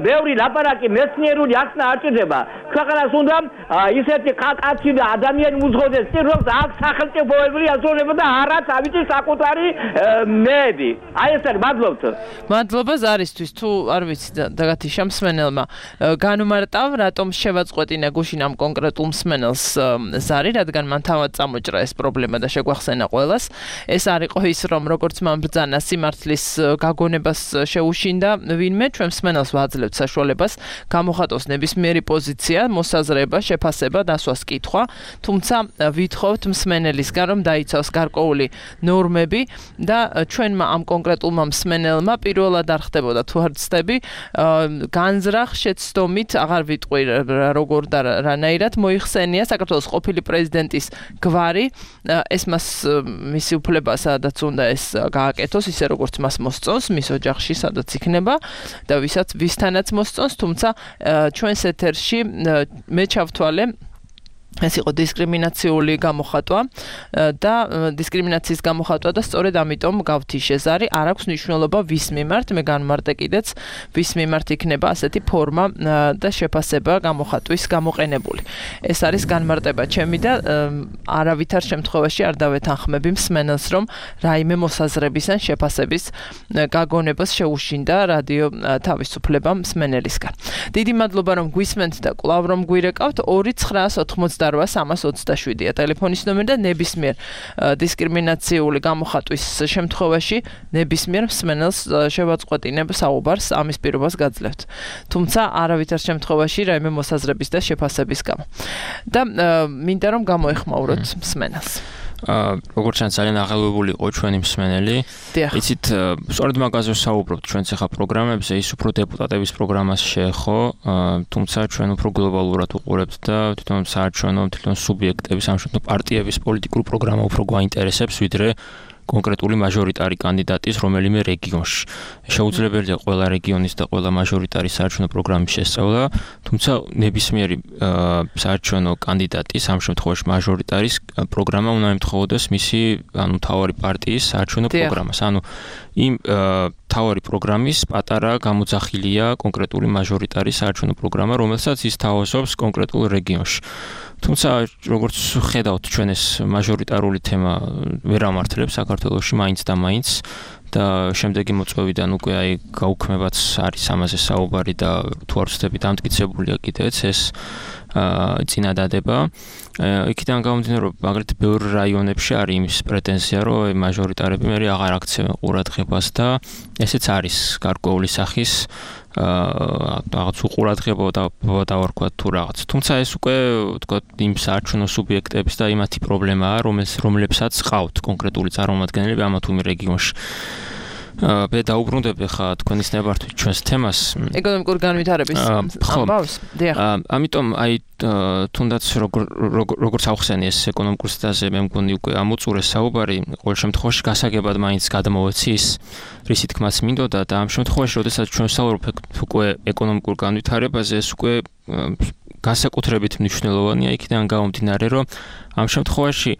ბევრი ლაპარაკი მეცნიერული ახსნა არ ჭირდება. ქვეყანას უნდა ისეთი კაცი და ადამიანი უძღოდეს, რომ აქ სახელმწიფოებრივი აზროვნება და არა თავისი საკუთარი მეები. აი ეს არის, მადლობთ.
მადლობა ზარისთვის, თუ არ ვიცი დაგათიშა მსმენელმა. განუმარტავ, რატომ შევაწყვეტინა გუშინ ამ კონკრეტულ მსმენელს ზარი, რადგან მან თავად წამოჭრა ეს პრობლემა და შეგვახსენა ყველა. ეს არ იყო ის, რომ როგორც მან ბრძანა სიმართლის გაგონებას შეუშინდა ვინმე, ჩვენ მსმენელს ვაძლევთ საშუალებას გამოხატოს ნებისმიერი პოზიცია, მოსაზრება, შეფასება, დასვას კითხვა, თუმცა ვითხოვთ მსმენელისგან, რომ დაიცავს გარკვეული ნორმები და ჩვენმა ამ კონკრეტულმა მსმენელმა პირველად არ ხდებოდა თუ არ ცდები, განზრახ შეცდომით, აღარ ვიტყვი როგორ და რანაირად მოიხსენია საქართველოს ყოფილი პრეზიდენტის გვარი, ეს მას მისი უფლება სადაც უნდა ეს გააკეთოს, ისე როგორც მას მოსწონს, მის ოჯახში სადაც იქნება და ვისთანაც მოსწონს, თუმცა ჩვენს ეთერში მე ჩავთვალე ეს იყო დისკრიმინაციული გამოხატვა და დისკრიმინაციის გამოხატვა და სწორედ ამიტომ გავთიშეს არის არ აქვს მნიშვნელობა ვის მიმართ მე განმარტე კიდეც ვის მიმართ იქნება ასეთი ფორმა და შეფასება გამოხატვის გამოყენებული ეს არის განმარტება ჩემი და არავითარ შემთხვევაში არ დავეთანხმები მსმენელს რომ რაიმე მოსაზრების ან შეფასების გაგონებას შეუშინდა რადიო თავისუფლება მსმენელისგან დიდი მადლობა რომ გვისმენთ და კვლავ რომ გვირეკავთ 2-988-327-ია ტელეფონის ნომერი და ნებისმიერ დისკრიმინაციული გამოხატვის შემთხვევაში ნებისმიერ მსმენელს შევაწყვეტინებ საუბარს ამის პირობას გაძლევთ. თუმცა არავითარ შემთხვევაში რაიმე მოსაზრების და შეფასების გამო. და მინდა რომ გამოეხმაუროთ მსმენელს.
როგორც ჩანს ძალიან აღელვებული იყო ჩვენი მსმენელი. იცით, სწორედ მაგაზე ვსაუბრობთ ჩვენც ახლა პროგრამებზე, ის უფრო დეპუტატების პროგრამას შეეხო, თუმცა ჩვენ უფრო გლობალურად უყურებთ და თვითონ საარჩევნო თვითონ სუბიექტების, სამშობლო პარტიების პოლიტიკური პროგრამა უფრო გვაინტერესებს, ვიდრე კონკრეტული მაჟორიტარი კანდიდატის რომელიმე რეგიონში. შეუძლებელია ყველა რეგიონის და ყველა მაჟორიტარის საარჩევნო პროგრამის შესწავლა, თუმცა ნებისმიერი საარჩევნო კანდიდატის, ამ შემთხვევაში მაჟორიტარის პროგრამა უნდა ემთხოვდეს მისი, მთავარი პარტიის საარჩევნო პროგრამას. იმ მთავარი პროგრამის პატარა გამოძახილია კონკრეტული მაჟორიტარის საარჩევნო პროგრამა, რომელსაც ის თავაზობს კონკრეტულ რეგიონში. თუმცა როგორც ხედავთ ჩვენ ეს მაჟორიტარული თემა ვერ ამართლებს საქართველოში მაინც და მაინც და შემდეგი მოწვევიდან უკვე აი გაუქმებაც არის ამაზე საუბარი და თუ არ ვცდებით დამტკიცებულია კიდეც ეს წინადადება იქიდან გამომდინარე რომ მაგალითად ბევრ რაიონებში არის იმის პრეტენზია რომ მაჟორიტარები მე აღარ აქცევენ ყურადღებას და ესეც არის გარკვეული სახის რაღაც უყურადღება და ვარქვა თუ რაღაც. თუმცა ეს უკვე თქვა იმ საარჩევნო სუბიექტების და იმათი პრობლემაა, რომლებსაც ყავთ კონკრეტული წარმომადგენლები ამა თუ იმ რეგიონში. მე დაუბრუნდები ხა თქვენის ნებართვით ჩვენს თემას
ეკონომიკური განვითარების ამბავს.
ამიტომ აი თუნდაც როგორც ავხსენი ეს ეკონომიკურ სტაზე მე მგონი უკვე ამოწურეს საუბარი ყოველ შემთხვევაში გასაგებად მაინც გადმოვეცი ის რისი თქმაც მინდოდა და ამ შემთხვევაში როდესაც ჩვენ ვსაუბრობთ უკვე ეკონომიკურ განვითარებაზე ეს უკვე განსაკუთრებით მნიშვნელოვანია იქიდან გამომდინარე რომ ამ შემთხვევაში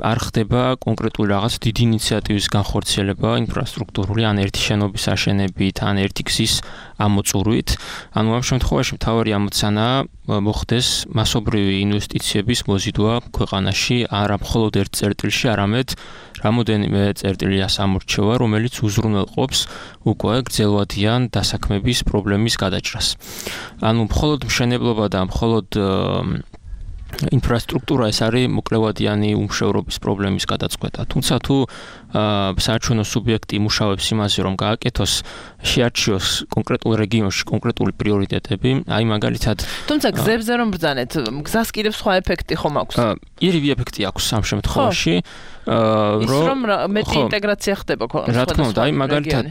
არ ხდება კონკრეტული რაღაც დიდი ინიციატივის განხორციელება ინფრასტრუქტურული ან ერთი შენობის აშენებით ან ერთი გზის ამოწურვით. ანუ ამ შემთხვევაში მთავარი ამოცანაა მოხდეს მასობრივი ინვესტიციების მოზიდვა ქვეყანაში არა მხოლოდ ერთ წერტილში, არამედ რამოდენიმე წერტილია სამორჩევა, რომელიც უზრუნველყოფს უკვე გრძელვადიან დასაქმების პრობლემის გადაჭრას. ანუ მხოლოდ მშენებლობა და მხოლოდ ინფრასტრუქტურა ეს არის მოკლევადიანი უმშევრობის პრობლემის გადაწყვეტა. თუმცა თუ საარჩევნო სუბიექტი იმუშავებს იმაზე რომ გააკეთოს შეარჩიოს კონკრეტულ რეგიონში კონკრეტული პრიორიტეტები, აი მაგალითად
თუმცა გზებზე რომ ბრძანეთ, გზას კიდევ სხვა ეფექტი ხომ აქვს?
ირიბი ეფექტი აქვს ამ შემთხვევაში.
რომ მეტი ინტეგრაცია ხდება
რა თქმა უნდა, აი მაგალითად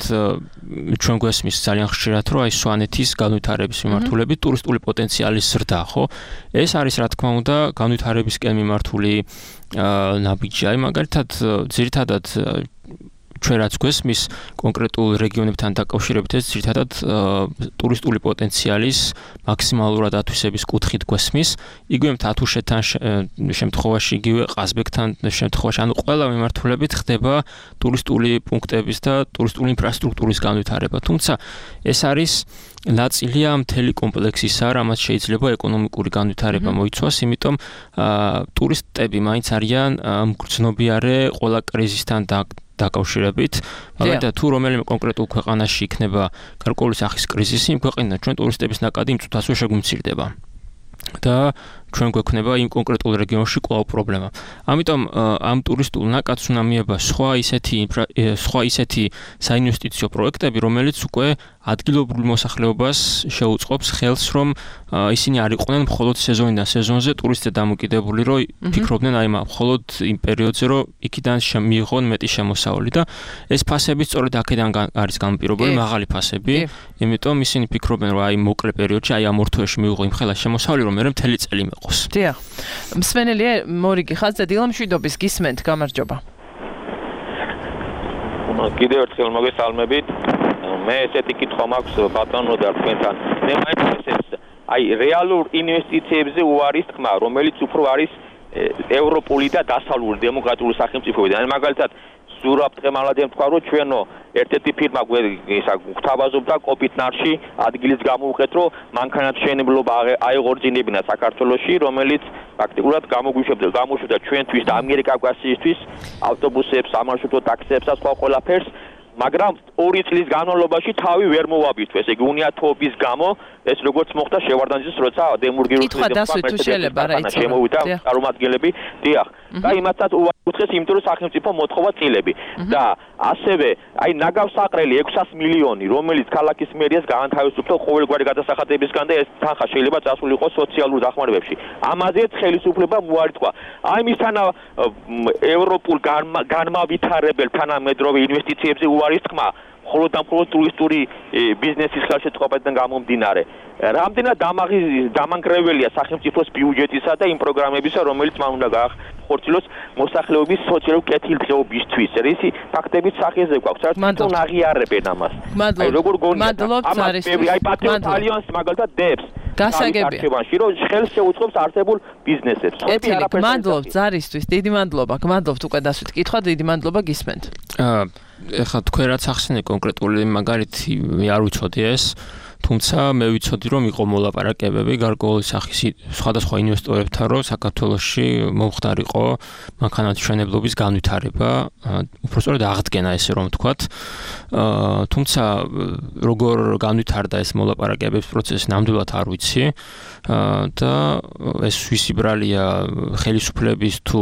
ჩვენ გვესმის ძალიან ხშირად რომ აი სვანეთის განვითარების მიმართულებით ტურისტული პოტენციალის ზრდა, ხო? ეს არის რა თქმა უნდა განვითარებისკენ მიმართული ნაბიჯი. აი მაგალითად ძირითადად ჩვენ რაც გვესმის კონკრეტულ რეგიონებთან დაკავშირებით ეს ძირითადად ტურისტული პოტენციალის მაქსიმალურად ათვისების კუთხით გვესმის. იგივე თათუშეთთან შემთხვევაში, იგივე ყაზბეგთან შემთხვევაში, ანუ ყველა მიმართულებით ხდება ტურისტული პუნქტების და ტურისტული ინფრასტრუქტურის განვითარება. თუმცა ეს არის ნაწილია მთელი კომპლექსისა, რამაც შეიძლება ეკონომიკური განვითარება მოიცვას, იმიტომ ტურისტები მაინც არიან მგრძნობიარე ყველა კრიზისთან დაკავშირებით, მაგალითად თუ რომელიმე კონკრეტულ ქვეყანაში იქნება გარკვეული სახის კრიზისი, იმ ქვეყნიდან ჩვენ ტურისტების ნაკადი იმ წუთასვე შეგვიმცირდება. და ჩვენ გვექნება იმ კონკრეტულ რეგიონში კვლავ პრობლემა. ამიტომ ამ ტურისტულ ნაკადს უნდა მიება სხვა ისეთი საინვესტიციო პროექტები, რომელიც უკვე ადგილობრივ მოსახლეობას შეუწყობს ხელს, რომ ისინი არ იყვნენ მხოლოდ სეზონიდან სეზონზე ტურისტზე დამოკიდებული, რომ ფიქრობდნენ აი მხოლოდ იმ პერიოდზე, რომ იქიდან მიიღონ მეტი შემოსავალი და ეს ფასები სწორედ აქედან არის განპირობებული, მაღალი ფასები, იმიტომ ისინი ფიქრობენ, რომ აი მოკლე პერიოდში, აი ამ ორ თვეში მიიღო იმ ხელა შემოსავალი, რომ მე მთელი წელი მეყოს.
დიახ. მსმენელია მორიგი ხაზზე დილამშვიდობის გისმენთ, გამარჯობა.
კიდევ ერთხელ მოგესალმებით. მე ესეთი კითხვა მაქვს ბატონო და თქვენთან. მე მაინც ეს აი რეალურ ინვესტიციებზე უარის თქმა, რომელიც უფრო არის ევროპული და დასავლური დემოკრატიული სახელმწიფოებიდან. მაგალითად ზურაბ თემალადემ თქვა, რომ ჩვენო ერთ-ერთი ფირმა გვთავაზობდა კოპიტნარში ადგილის გამოუყეთ, რომ მანქანათმშენებლობა აეღორჯინებინა საქართველოში, რომელიც პრაქტიკულად გამოგვიშვებდა ჩვენთვის და ამიერკავკასიისთვის ავტობუსებს, სამარშრუტო ტაქსიებს და სხვა ყველაფერს, მაგრამ 2 წლის განმავლობაში თავი ვერ მოვაბირთვეს. ეგ უნიათობის გამო ეს როგორც მოხდა შევარდანაძის როცა დემურგირული შემოვიდა წარმომადგენლები, დიახ. და იმათაც უარყოფეს, იმიტომ რომ სახელმწიფო მოთხოვა წილები. და ასევე აი ნაგავსაყრელი 600 მილიონი, რომელიც ქალაქის მერიას გაანთავისუფლდა ყოველგვარი გადასახადებისგან და ეს თანხა შეიძლება წასულიყო სოციალურ დახმარებებში. ამაზეც ხელისუფლება მოარტყვა. აი მისთანა ევროპულ განმავითარებელ თანამედროვე ინვესტიციებზე უარის თქმა მხოლოდ და მხოლოდ ტურისტული ბიზნესის ხელშეწყობებიდან გამომდინარე. რამდენად დამანგრეველია სახელმწიფოს ბიუჯეტისა და იმ პროგრამებისა, რომელიც მან უნდა გაახორციელოს მოსახლეობის სოციალური კეთილდღეობისთვის. რისი ფაქტებით სახეზე გვაქვს, საერთოდ აღიარებენ ამას. აი როგორ
მადლობთ არის.
აი პატრიოტ ალიანსი მაგალითად დებს
გასაგებია,
რომ ხელს შეუწყობს არსებულ ბიზნესებს.
მადლობთ ზარისთვის, დიდი მადლობა. გმადლობთ უკვე დასვით კითხვა, დიდი მადლობა გისმენთ.
ეხლა თქვენ რაც ახსენეთ კონკრეტული მაგალითი არ ვიცოდი ეს, თუმცა მე ვიცოდი რომ იყო მოლაპარაკებები გარკვეული სახის სხვადასხვა ინვესტორებთან, რომ საქართველოში მომხდარიყო მანქანათმშენებლობის განვითარება, უბრალოდ აღდგენა ესე რომ ვთქვათ. თუმცა როგორ განვითარდა ეს მოლაპარაკებების პროცესი ნამდვილად არ ვიცი და ეს ვისი ბრალია ხელისუფლების თუ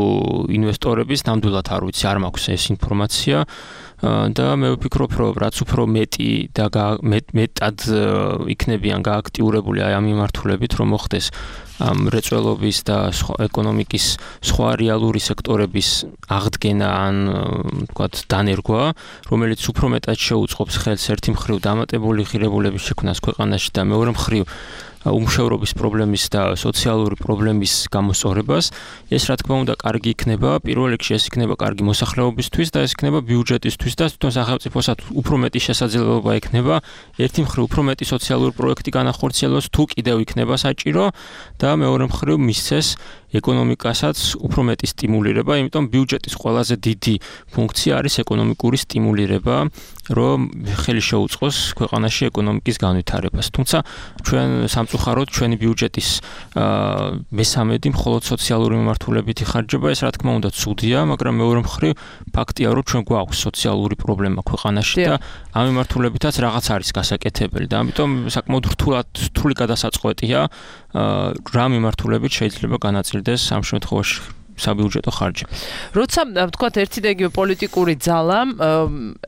ინვესტორების ნამდვილად არ ვიცი, არ მაქვს ეს ინფორმაცია. და მე ვფიქრობ, რომ რაც უფრო მეტი და მეტად იქნებიან გააქტიურებული აი ამ მიმართულებით, რომ მოხდეს ამ რეწველობის და ეკონომიკის სხვა რეალური სექტორების აღდგენა ან ვთქვათ დანერგვა, რომელიც უფრო მეტად შეუწყობს ხელს ერთი მხრივ დამატებული ღირებულების შექმნას ქვეყანაში და მეორე მხრივ უმშევრობის პრობლემის და სოციალური პრობლემის გამოსწორებას, ეს რა თქმა უნდა კარგი იქნება, პირველ რიგში ეს იქნება კარგი მოსახლეობისთვის და ეს იქნება ბიუჯეტისთვის და თვითონ სახელმწიფოსაც უფრო მეტი შესაძლებლობა ექნება, ერთი მხრივ უფრო მეტი სოციალური პროექტი განახორციელოს, თუ კიდევ იქნება საჭირო და მეორე მხრივ მისცეს ეკონომიკასაც უფრო მეტი სტიმულირება, იმიტომ ბიუჯეტის ყველაზე დიდი ფუნქცია არის ეკონომიკური სტიმულირება, რომ ხელი შეუწყოს ქვეყანაში ეკონომიკის განვითარებას. თუმცა ჩვენ სამწუხაროდ ჩვენი ბიუჯეტის მესამედი მხოლოდ სოციალური მიმართულებით იხარჯება, ეს რა თქმა უნდა ცუდია, მაგრამ მეორე მხრივ ფაქტია, რომ ჩვენ გვაქვს სოციალური პრობლემა ქვეყანაში და ამ მიმართულებითაც რაღაც არის გასაკეთებელი და ამიტომ საკმაოდ რთული გადასაწყვეტია რა მიმართულებით შეიძლება განაწილდეს ამ შემთხვევაში საბიუჯეტო ხარჯი.
როცა ვთქვათ ერთი და იგივე პოლიტიკური ძალა,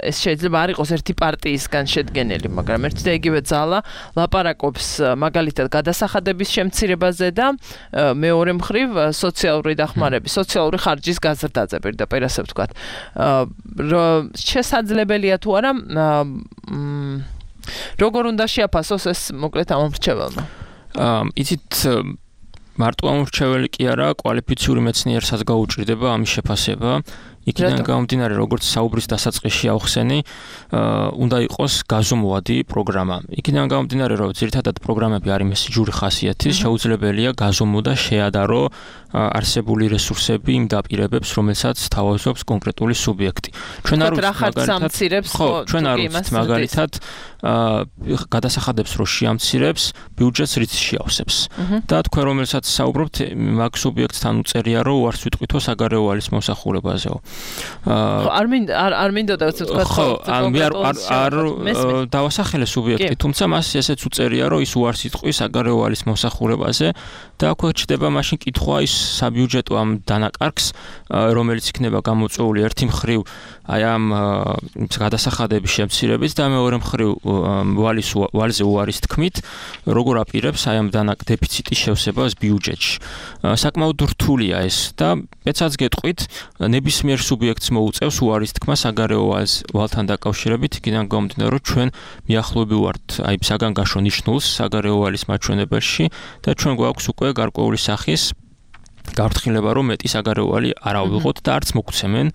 ეს შეიძლება არ იყოს ერთი პარტიისგან შედგენილი, მაგრამ ერთი და იგივე ძალა ლაპარაკობს მაგალითად გადასახადების შემცირებაზე და მეორე მხრივ სოციალური დახმარების, სოციალური ხარჯის გაზრდაზე პირდაპირ ასე ვთქვათ. შესაძლებელია თუ არა როგორ უნდა შეაფასოს ეს მოკლედ ამ მრჩეველმა?
იცით მარტო ამ მრჩეველი კი არა, კვალიფიციური მეცნიერსაც გაუჭირდება ამის შეფასება. იქიდან გამომდინარე, როგორც საუბრის დასაწყისში ავხსენი, უნდა იყოს გაზომვადი პროგრამა. იქიდან გამომდინარე, რომ ძირითადად პროგრამები არის მესიჯური ხასიათის, შეუძლებელია გაზომო და შეადარო არსებული რესურსები იმ დაპირებებს, რომელსაც თავაზობს კონკრეტული სუბიექტი. ჩვენ არ ვიცით მაგალითად გადასახადებს რო შეამცირებს, ბიუჯეტს რით შეავსებს. და თქვენ რომელსაც საუბრობთ, მაგ სუბიექტთან უწერია, რომ უარს ვიტყვითო საგარეო ვალის მომსახურებაზეო.
არ მინდოდა ვთქვათ,
არ დავასახელე სუბიექტი, თუმცა მას ესეც უწერია, რომ ის უარს იტყვის საგარეო ვალის მომსახურებაზე და აქვე ჩდება მაშინ კითხვა ის საბიუჯეტო ამ დანაკარგს, რომელიც იქნება გამოწვეული ერთი მხრივ აი ამ გადასახადების შემცირებით და მეორე მხრივ ვალზე უარის თქმით, როგორ აპირებს აი ამ დეფიციტის შევსებას ბიუჯეტში. საკმაოდ რთულია ეს და მეცაც გეტყვით, ნებისმიერ სუბიექტს მოუწევს უარის თქმა საგარეო ვალთან დაკავშირებით, იქიდან გამომდინარე, რომ ჩვენ მიახლოები ვართ აი საგანგაშო ნიშნულს საგარეო ვალის მაჩვენებელში და ჩვენ გვაქვს უკვე გარკვეული სახის გაფრთხილება რომ მეტი საგარეოვალი არ ავიღოთ და არც მოგცემენ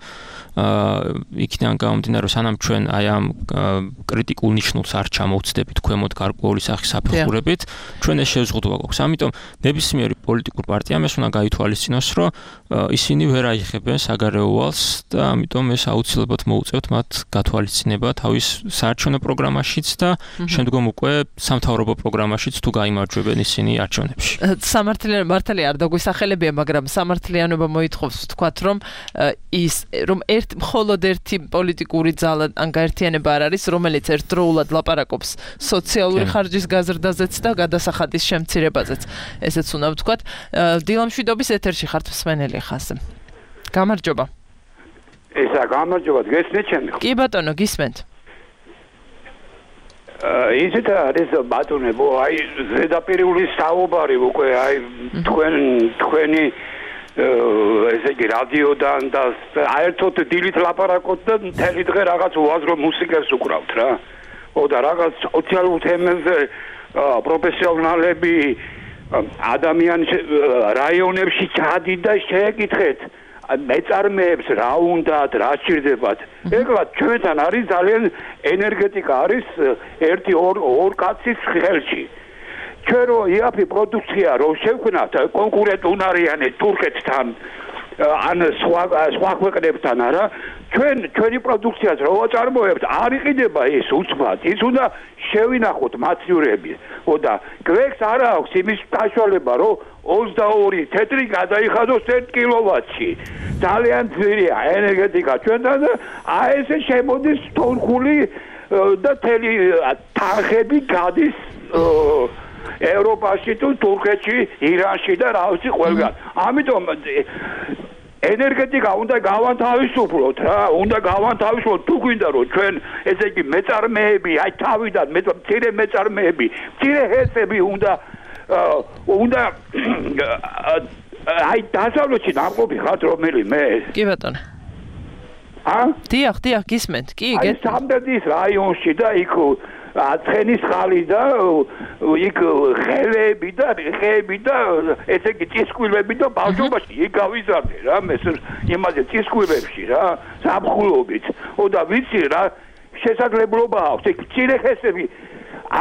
იქიდან გამომდინარე რომ სანამ ჩვენ აი ამ კრიტიკულ ნიშნულს არ ჩამოვცდებით ქვემოთ გარკვეული სახის საფეხურებით ჩვენ ეს შეზღუდვა გვაქვს ამიტომ ნებისმიერი პოლიტიკურ პარტიამ ეს უნდა გაითვალისწინოს რომ ისინი ვერ აიხებენ საგარეოვალს და ამიტომ ეს აუცილებლად მოუწევთ მათ გათვალისწინება თავის საარჩევნო პროგრამაშიც და შემდგომ უკვე სამთავრობო პროგრამაშიც თუ გაიმარჯვებენ ისინი არჩევნებში
მართალი არ დაგვისახელებია მაგრამ სამართლიანობა მოითხოვს ვთქვათ რომ ის რომ მხოლოდ ერთი პოლიტიკური ძალა ან გაერთიანება არ არის რომელიც ერთდროულად ლაპარაკობს სოციალური ხარჯის გაზრდაზეც და გადასახადის შემცირებაზეც ესეც უნდა ვთქვათ დილამშვიდობის ეთერში ხართ მსმენელი ხაზე გამარჯობა
ესა გამარჯობა გესმით ჩემი
კი ბატონო გისმენთ
ისეთ არის ბატონებო აი ზედაპირული საუბარი უკვე აი თქვენი ესე იგი რადიოდან და აერთოთ დილით ლაპარაკობთ და მთელი დღე რაღაც უაზრო მუსიკას უკრავთ რა. და რაღაც სოციალურ თემებზე პროფესიონალები ადამიანს რაიონებში ჩადით და შეეკითხეთ მეწარმეებს რა უნდათ, რა სჭირდებათ. ეხლა ჩვენთან არის ძალიან ენერგეტიკა არის ერთი ორ კაცის ხელში. ჩვენ რო იაფი პროდუქცია რო შევქნათ კონკურენტუნარიანი თურქეთთან ან სხვა ქვეყნებთან არა ჩვენი პროდუქციას რო ვაწარმოებთ არ იყიდება ის უცბად ის უნდა შევინახოთ მაცივრები და გვექს არ აქვს იმის საშუალება რომ 22 თეთრი გადაიხადოს 1 კილოვატში ძალიან ძვირია ენერგეტიკა ჩვენთან და აი ესე შემოდის თურქული და თელი თანხები გადის ევროპაში თუ თურქეთში, ირანში და რა ვიცი ყველგან. ამიტომ ენერგეტიკა უნდა გავანთავისუფლოთ რა, უნდა გავანთავისუფლოთ თუ გვინდა რომ ჩვენ ესე იგი მეწარმეები, აი თავიდან მცირე მეწარმეები, მცირე ჰესები უნდა აი დასავლეთში ნამყოფი ხართ რომელიმე.
კი ბატონო. დიახ, გისმენთ. კი,
აი სამბედის რაიონში და იქ ცხენის ხალი და იქ ხელები და ესე იგი წისქვილები და ბავშვობაში იქ გავიზარდე რა მე იმაზე წისქვილებში რა ზაფხულობით და ვიცი რა შესაძლებლობა აქვს იქ მცირე ხესები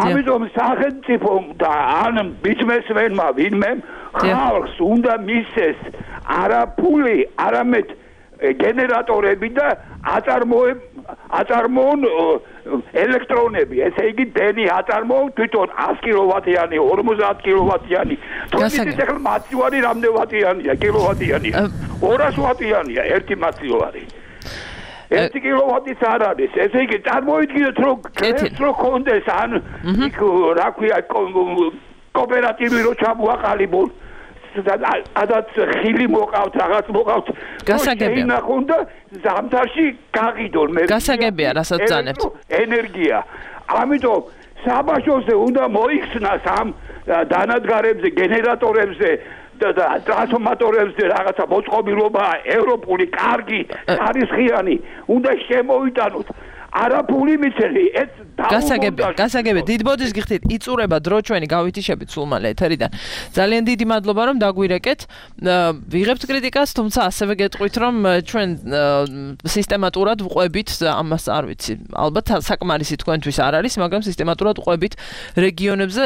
ამიტომ სახელმწიფო და ან ბიზნესმენმა ვინმე ხალხს უნდა მისცეს არა ფული არამედ გენერატორები და აწარმოონ ელექტრონები, ესე იგი დენი აწარმოონ თვითონ 100 კილოვატიანი, 50 კილოვატიანი. თუმცა ახლა მაცივარი რამდენი ვატიანია, კილოვატიანია? 200 ვატიანია ერთი მაცივარი. 1 კილოვატიც არ არის. ესე იგი წარმოიდგინეთ რომ რო კონდეს ან იქ რა ქვია კოოპერატივი რო ჩამოაყალიბონ ადაც ხილი მოყავთ რაღაც მოყავთ
გასაგებია
ნახონ და ზამთარში გაღიდონ მე
გასაგებია რასაც ძანებთ
ენერგია ამიტომ საბაშოზე უნდა მოიხსნას ამ დანადგარებზე გენერატორებზე და ტრანსფორმატორებზე რაღაცა მოწყობილობა ევროპული კარგი ხარისხიანი უნდა შემოვიტანოთ არაფული მიცელი ეს
გასაგებია დიდ ბოდის გიხდით იწურება დრო ჩვენი გავითიშებით სულ მალე ეთერიდან ძალიან დიდი მადლობა რომ დაგვირეკეთ ვიღებთ კრიტიკას თუმცა ასევე გეტყვით რომ ჩვენ სისტემატურად ვყვებით ამას არ ვიცი ალბათ საკმარისი თქვენთვის არ არის მაგრამ სისტემატურად ვყვებით რეგიონებზე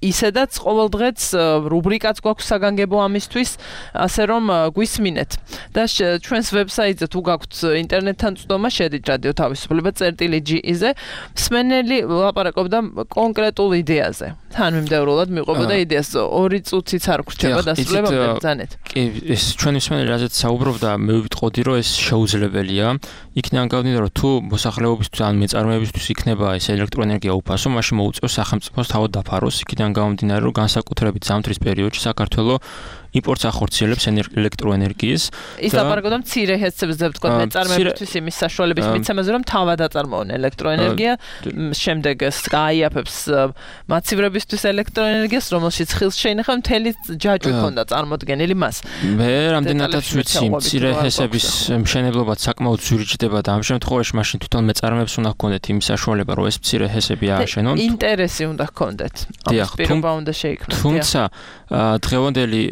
ისედაც ყოველდღეც რუბრიკაც გვაქვს საგანგებო ამისთვის, ასე რომ გვისმინეთ. და ჩვენს ვებსაიტზე თუ გაქვთ ინტერნეტთან წვდომა, შედით რადიო თავისუფლება წერტილი.ge-ზე, მსმენელი ლაპარაკობდა კონკრეტულ იდეაზე. თანმიმდევრულად მიყვებოდა იდეას 2 წუთიც არ გრჩება დასრულებამდე ბრძანეთ.
კი, ეს ჩვენი მსმენელი რაზეც საუბრობდა, მე ვიტყოდი რომ ეს შეუძლებელია. იქიდან გავდივარ რომ თუ მოსახლეობისთვის ან მეწარმეებისთვის იქნება ეს ელექტროენერგია უფასო, მაშინ მოუწევს სახელმწიფოს თავად დაფაროს იქიდან გამომდინარე რომ განსაკუთრებით ზამთრის პერიოდში საქართველოს იმპორტს ახორციელებს ელექტროენერგიის
ის ლაპარაკობდა მცირე ჰესებზე ვთქვათ მეწარმეებისთვის იმის საშუალების მიცემაზე რომ თავად აწარმოონ ელექტროენერგია შემდეგ გააიაფებს მაცივრებისთვის ელექტროენერგიას რომელშიც ხილს შეინახავ მთელი ჯაჭვი ქონდა წარმოდგენილი მას
მე რამდენადაც ვიცი მცირე ჰესების მშენებლობა საკმაოდ ზურიჭდება და ამ შემთხვევაში მაშინ თვითონ მეწარმეებს უნდა ჰქონდეთ იმის საშუალება რომ ეს მცირე ჰესები ააშენონ
ინტერესი უნდა ჰქონდეთ
თუმცა დღევანდელი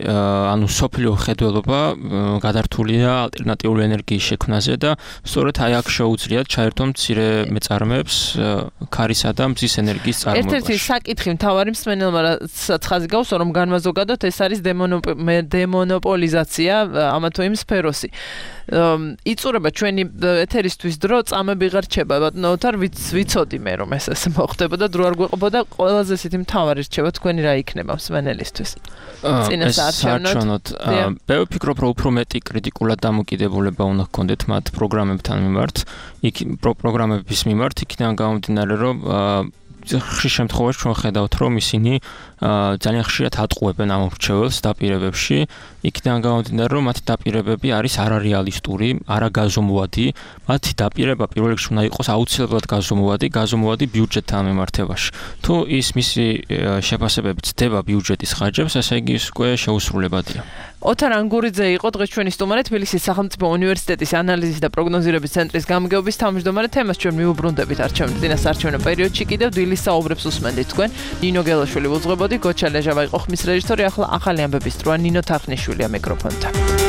ანუ სოფლიო ხედველობა გადართულია ალტერნატიული ენერგიის შექმნაზე და სწორედ აი აქ შეუძლიათ ჩაერთონ მცირე მეწარმეებს ქარისა და მზის ენერგიის წარმოებაში.
ერთ-ერთი საკითხი მთავარი მსმენელმა ხაზი გაუსვა, რომ განმაზოგადოთ ეს არის დემონოპოლიზაცია ამა თუ იმ სფეროსი. იწურება ჩვენი ეთერისთვის დრო, წამები ღარ რჩება, ბატონო ოთარ, ვიცოდი მე რომ ეს მოხდებოდა, დრო არ გვეყობოდა, ყველაზე ისეთი მთავარი რჩება თქვენი რა იქნება მსმენელისთვის.
საარჩევნოდ მე ვფიქრობ, რომ უფრო მეტი კრიტიკულად დამოკიდებულება უნდა ჰქონდეთ მათ პროგრამებთან მიმართ, პროგრამების მიმართ, იქიდან გამომდინარე, რომ ხშირ შემთხვევაში ჩვენ ხედავთ, რომ ისინი ძალიან ხშირად ატყუებენ ამ მრჩეველს დაპირებებში, იქიდან გამომდინარე, რომ მათი დაპირებები არის არარეალისტური, არაგაზომვადი, მათი დაპირება პირველ რიგში უნდა იყოს აუცილებლად გაზომვადი ბიუჯეტთან მიმართებაში. თუ ის მისი შეფასებები ცდება ბიუჯეტის ხარჯებს, ესე იგი ის უკვე შეუსრულებადია.
ოთარ ანგურიძე იყო დღეს ჩვენი სტუმარი, თბილისის სახელმწიფო უნივერსიტეტის ანალიზის და პროგნოზირების ცენტრის გამგეობის თავმჯდომარე. თემას ჩვენ მივუბრუნდებით არჩევნების წინასაარჩევნო პერიოდში კიდევ დილის საუბრებს უსმენდით თქვენ. ნინო გელაშვილი უძღვებოდი, გოჩა ლეჟავა იყო ხმის რეჟისორი, ახლა ახალი ამბების დროა ნინო თახნიშვილია მიკროფონთან.